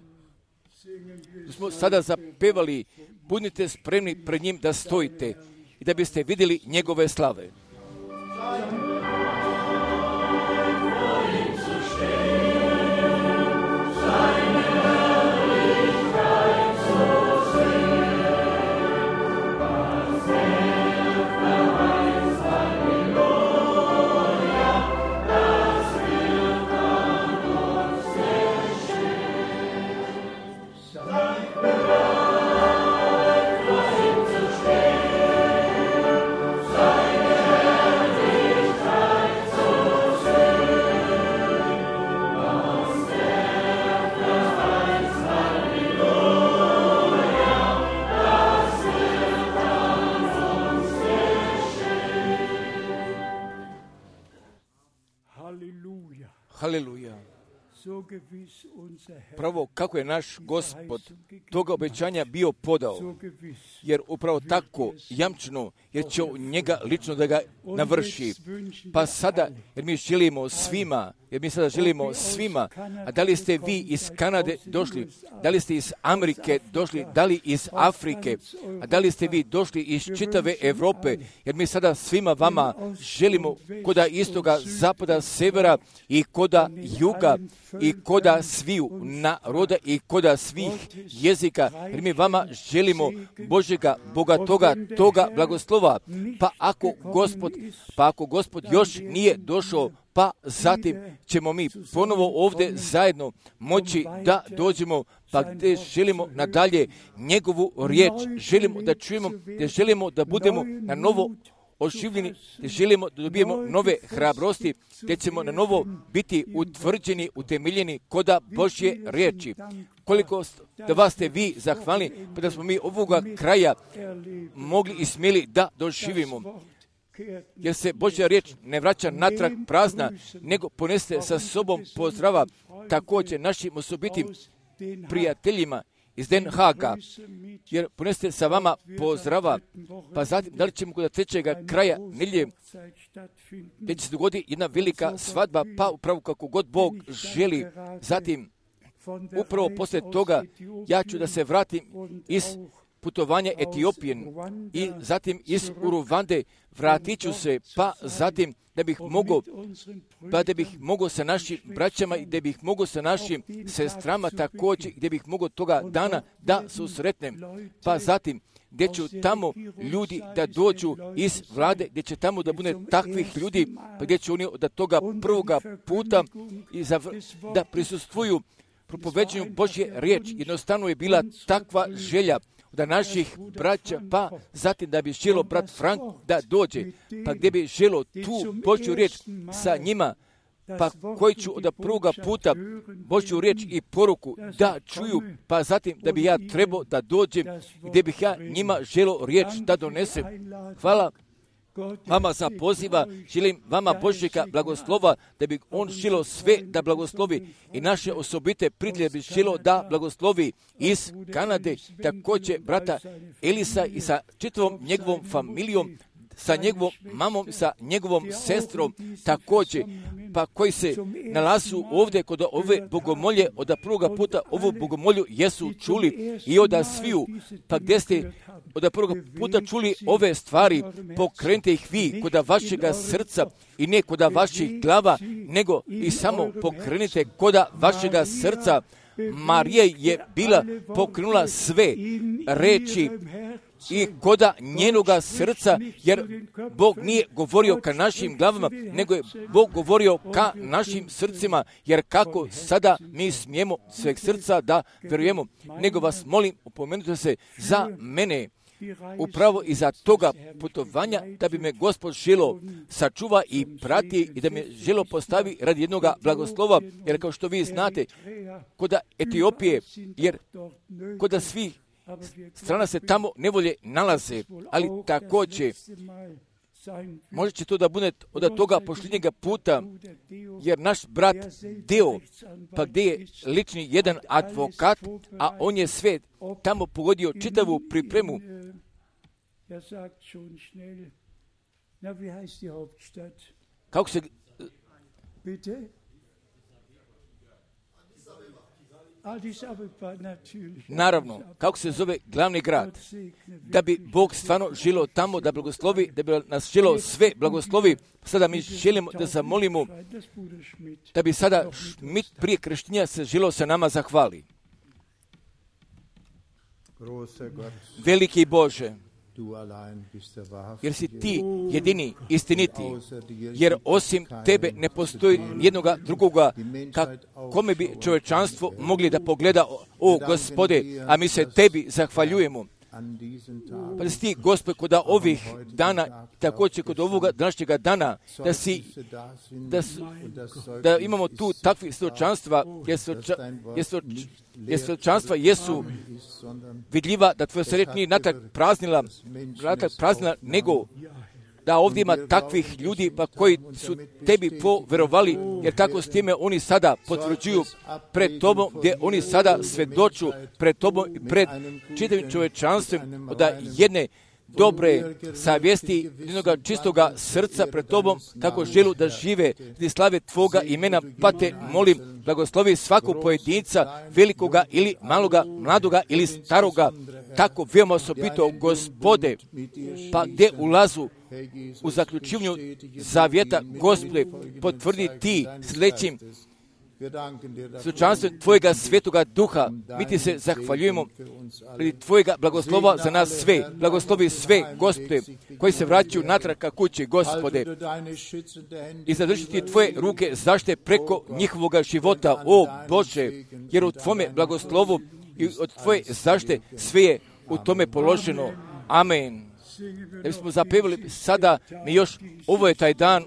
Smo sada zapevali, budite spremni pred njim da stojite i da biste vidjeli njegove slave. pravo kako je naš Gospod toga obećanja bio podao, jer upravo tako jamčeno, jer će njega lično da ga navrši. Pa sada, jer mi sada želimo svima, a da li ste vi iz Kanade došli, da li ste iz Amerike došli, da li iz Afrike, a da li ste vi došli iz čitave Europe, jer mi sada svima vama želimo koda istoga, zapada, severa i koda juga i koda sviju naroda i koda svih jezika, jer mi vama želimo Božjega, Boga toga blagoslova. Pa ako Gospod još nije došao, pa zatim ćemo mi ponovo ovdje zajedno moći da dođemo, pa gdje želimo nadalje njegovu riječ, želimo da čujemo, gdje želimo da budemo na novo oživljeni, gdje želimo da dobijemo nove hrabrosti, gdje ćemo na novo biti utvrđeni, utemeljeni koda Božje riječi. Koliko da vas ste vi zahvalni, pa da smo mi ovoga kraja mogli i smjeli da doživimo. Jer se Božja riječ ne vraća natrag prazna, nego ponese sa sobom pozdrava također našim osobitim prijateljima iz Den Haaga, jer poneste sa vama pozdrava, pa zatim da li ćemo kod trećega kraja nedjelje, gdje će se dogoditi jedna velika svadba, pa upravo kako god Bog želi. Zatim, upravo poslije toga, ja ću da se vratim iz putovanja Etiopije i zatim iz Uruvande, vratit ću se, pa zatim da bih mogao sa našim braćama i da bih mogao sa našim sestrama također, gdje bih mogao toga dana da susretnem, pa zatim gdje ću tamo ljudi da dođu iz vlade, gdje će tamo da bude takvih ljudi, pa gdje će oni od toga prvoga puta da prisustvuju propoveđenju Božje riječi. Jednostavno je bila takva želja da naših braća, pa zatim da bi želo brat Frank da dođe, pa gdje bi želo tu Božju riječ sa njima, pa koji ću od prvoga puta Božju riječ i poruku da čuju, pa zatim da bi ja trebao da dođem, gdje bih ja njima želo riječ da donesem. Hvala vama za poziva, želim vama Božjega blagoslova, da bi on želo sve da blagoslovi i naše osobite prijatelje bi želo da blagoslovi iz Kanade, također brata Elisa i sa čitavom njegovom familijom, sa njegovom mamom, sa njegovom sestrom također, pa koji se nalazu ovdje kod ove bogomolje, od prvoga puta ovu bogomolju jesu čuli i od sviju, pa gdje ste od prvoga puta čuli ove stvari, pokrenite ih vi kod vašega srca i ne kod vaših glava, nego i samo pokrenite kod vašega srca. Marija je bila pokrenula sve reči i koda njenoga srca, jer Bog nije govorio ka našim glavama, nego je Bog govorio ka našim srcima, jer kako sada mi smijemo sveg srca da vjerujemo, nego vas molim, upomenute se za mene, upravo iza toga putovanja, da bi me Gospod želo sačuva i prati i da me želo postavi radi jednoga blagoslova, jer kao što vi znate, kod Etiopije, jer kod svih strana se tamo nevolje nalaze, ali također možda će to da bude od toga posljednjega puta, jer naš brat Deo, pa gdje je lični jedan advokat, a on je sve tamo pogodio čitavu pripremu. Kako se... Naravno, kako se zove glavni grad, da bi Bog stvarno želio tamo da blagoslovi, da bi nas želio sve blagoslovi. Sada mi želimo da zamolimo da bi sada Schmidt prije krštenja se želio sa nama zahvali. Veliki Bože, jer si ti jedini istiniti, jer osim tebe ne postoji jednoga drugoga kome bi čovječanstvo mogli da pogleda, o Gospode, a mi se tebi zahvaljujemo. Pa da si ti, Gospod, kod ovih dana, također kod ovoga današnjega dana, da imamo tu takvih svjedočanstva, jer svjedočanstva jesu vidljiva, da tvoja se riječ nije natrag praznila, nego da ovdje ima takvih ljudi pa koji su tebi poverovali, jer kako s time oni sada potvrđuju pred tobom, gdje oni sada svjedoču pred tobom i pred čitavim čovječanstvom da jedne dobre savjesti, jednoga čistoga srca pred tobom, kako želu da žive i slave tvoga imena, pa te molim, blagoslovi svakog pojedinca, velikoga ili maloga, mladoga ili staroga, tako veoma osobito, Gospode, pa gdje ulazu u zaključivanju zavjeta, Gospode, potvrdi ti sljedećim slučanstvom Tvojega svetoga duha. Mi ti se zahvaljujemo radi Tvojega blagoslova za nas sve. Blagoslovi sve, Gospode, koji se vraćaju natrag ka kući, Gospode. I zadržiti Tvoje ruke zaštite preko njihovoga života, o Bože, jer u Tvome blagoslovu i od Tvoje zaštite sve je u tome položeno. Amen. Da bismo zapevali sada, mi još, ovo je taj dan,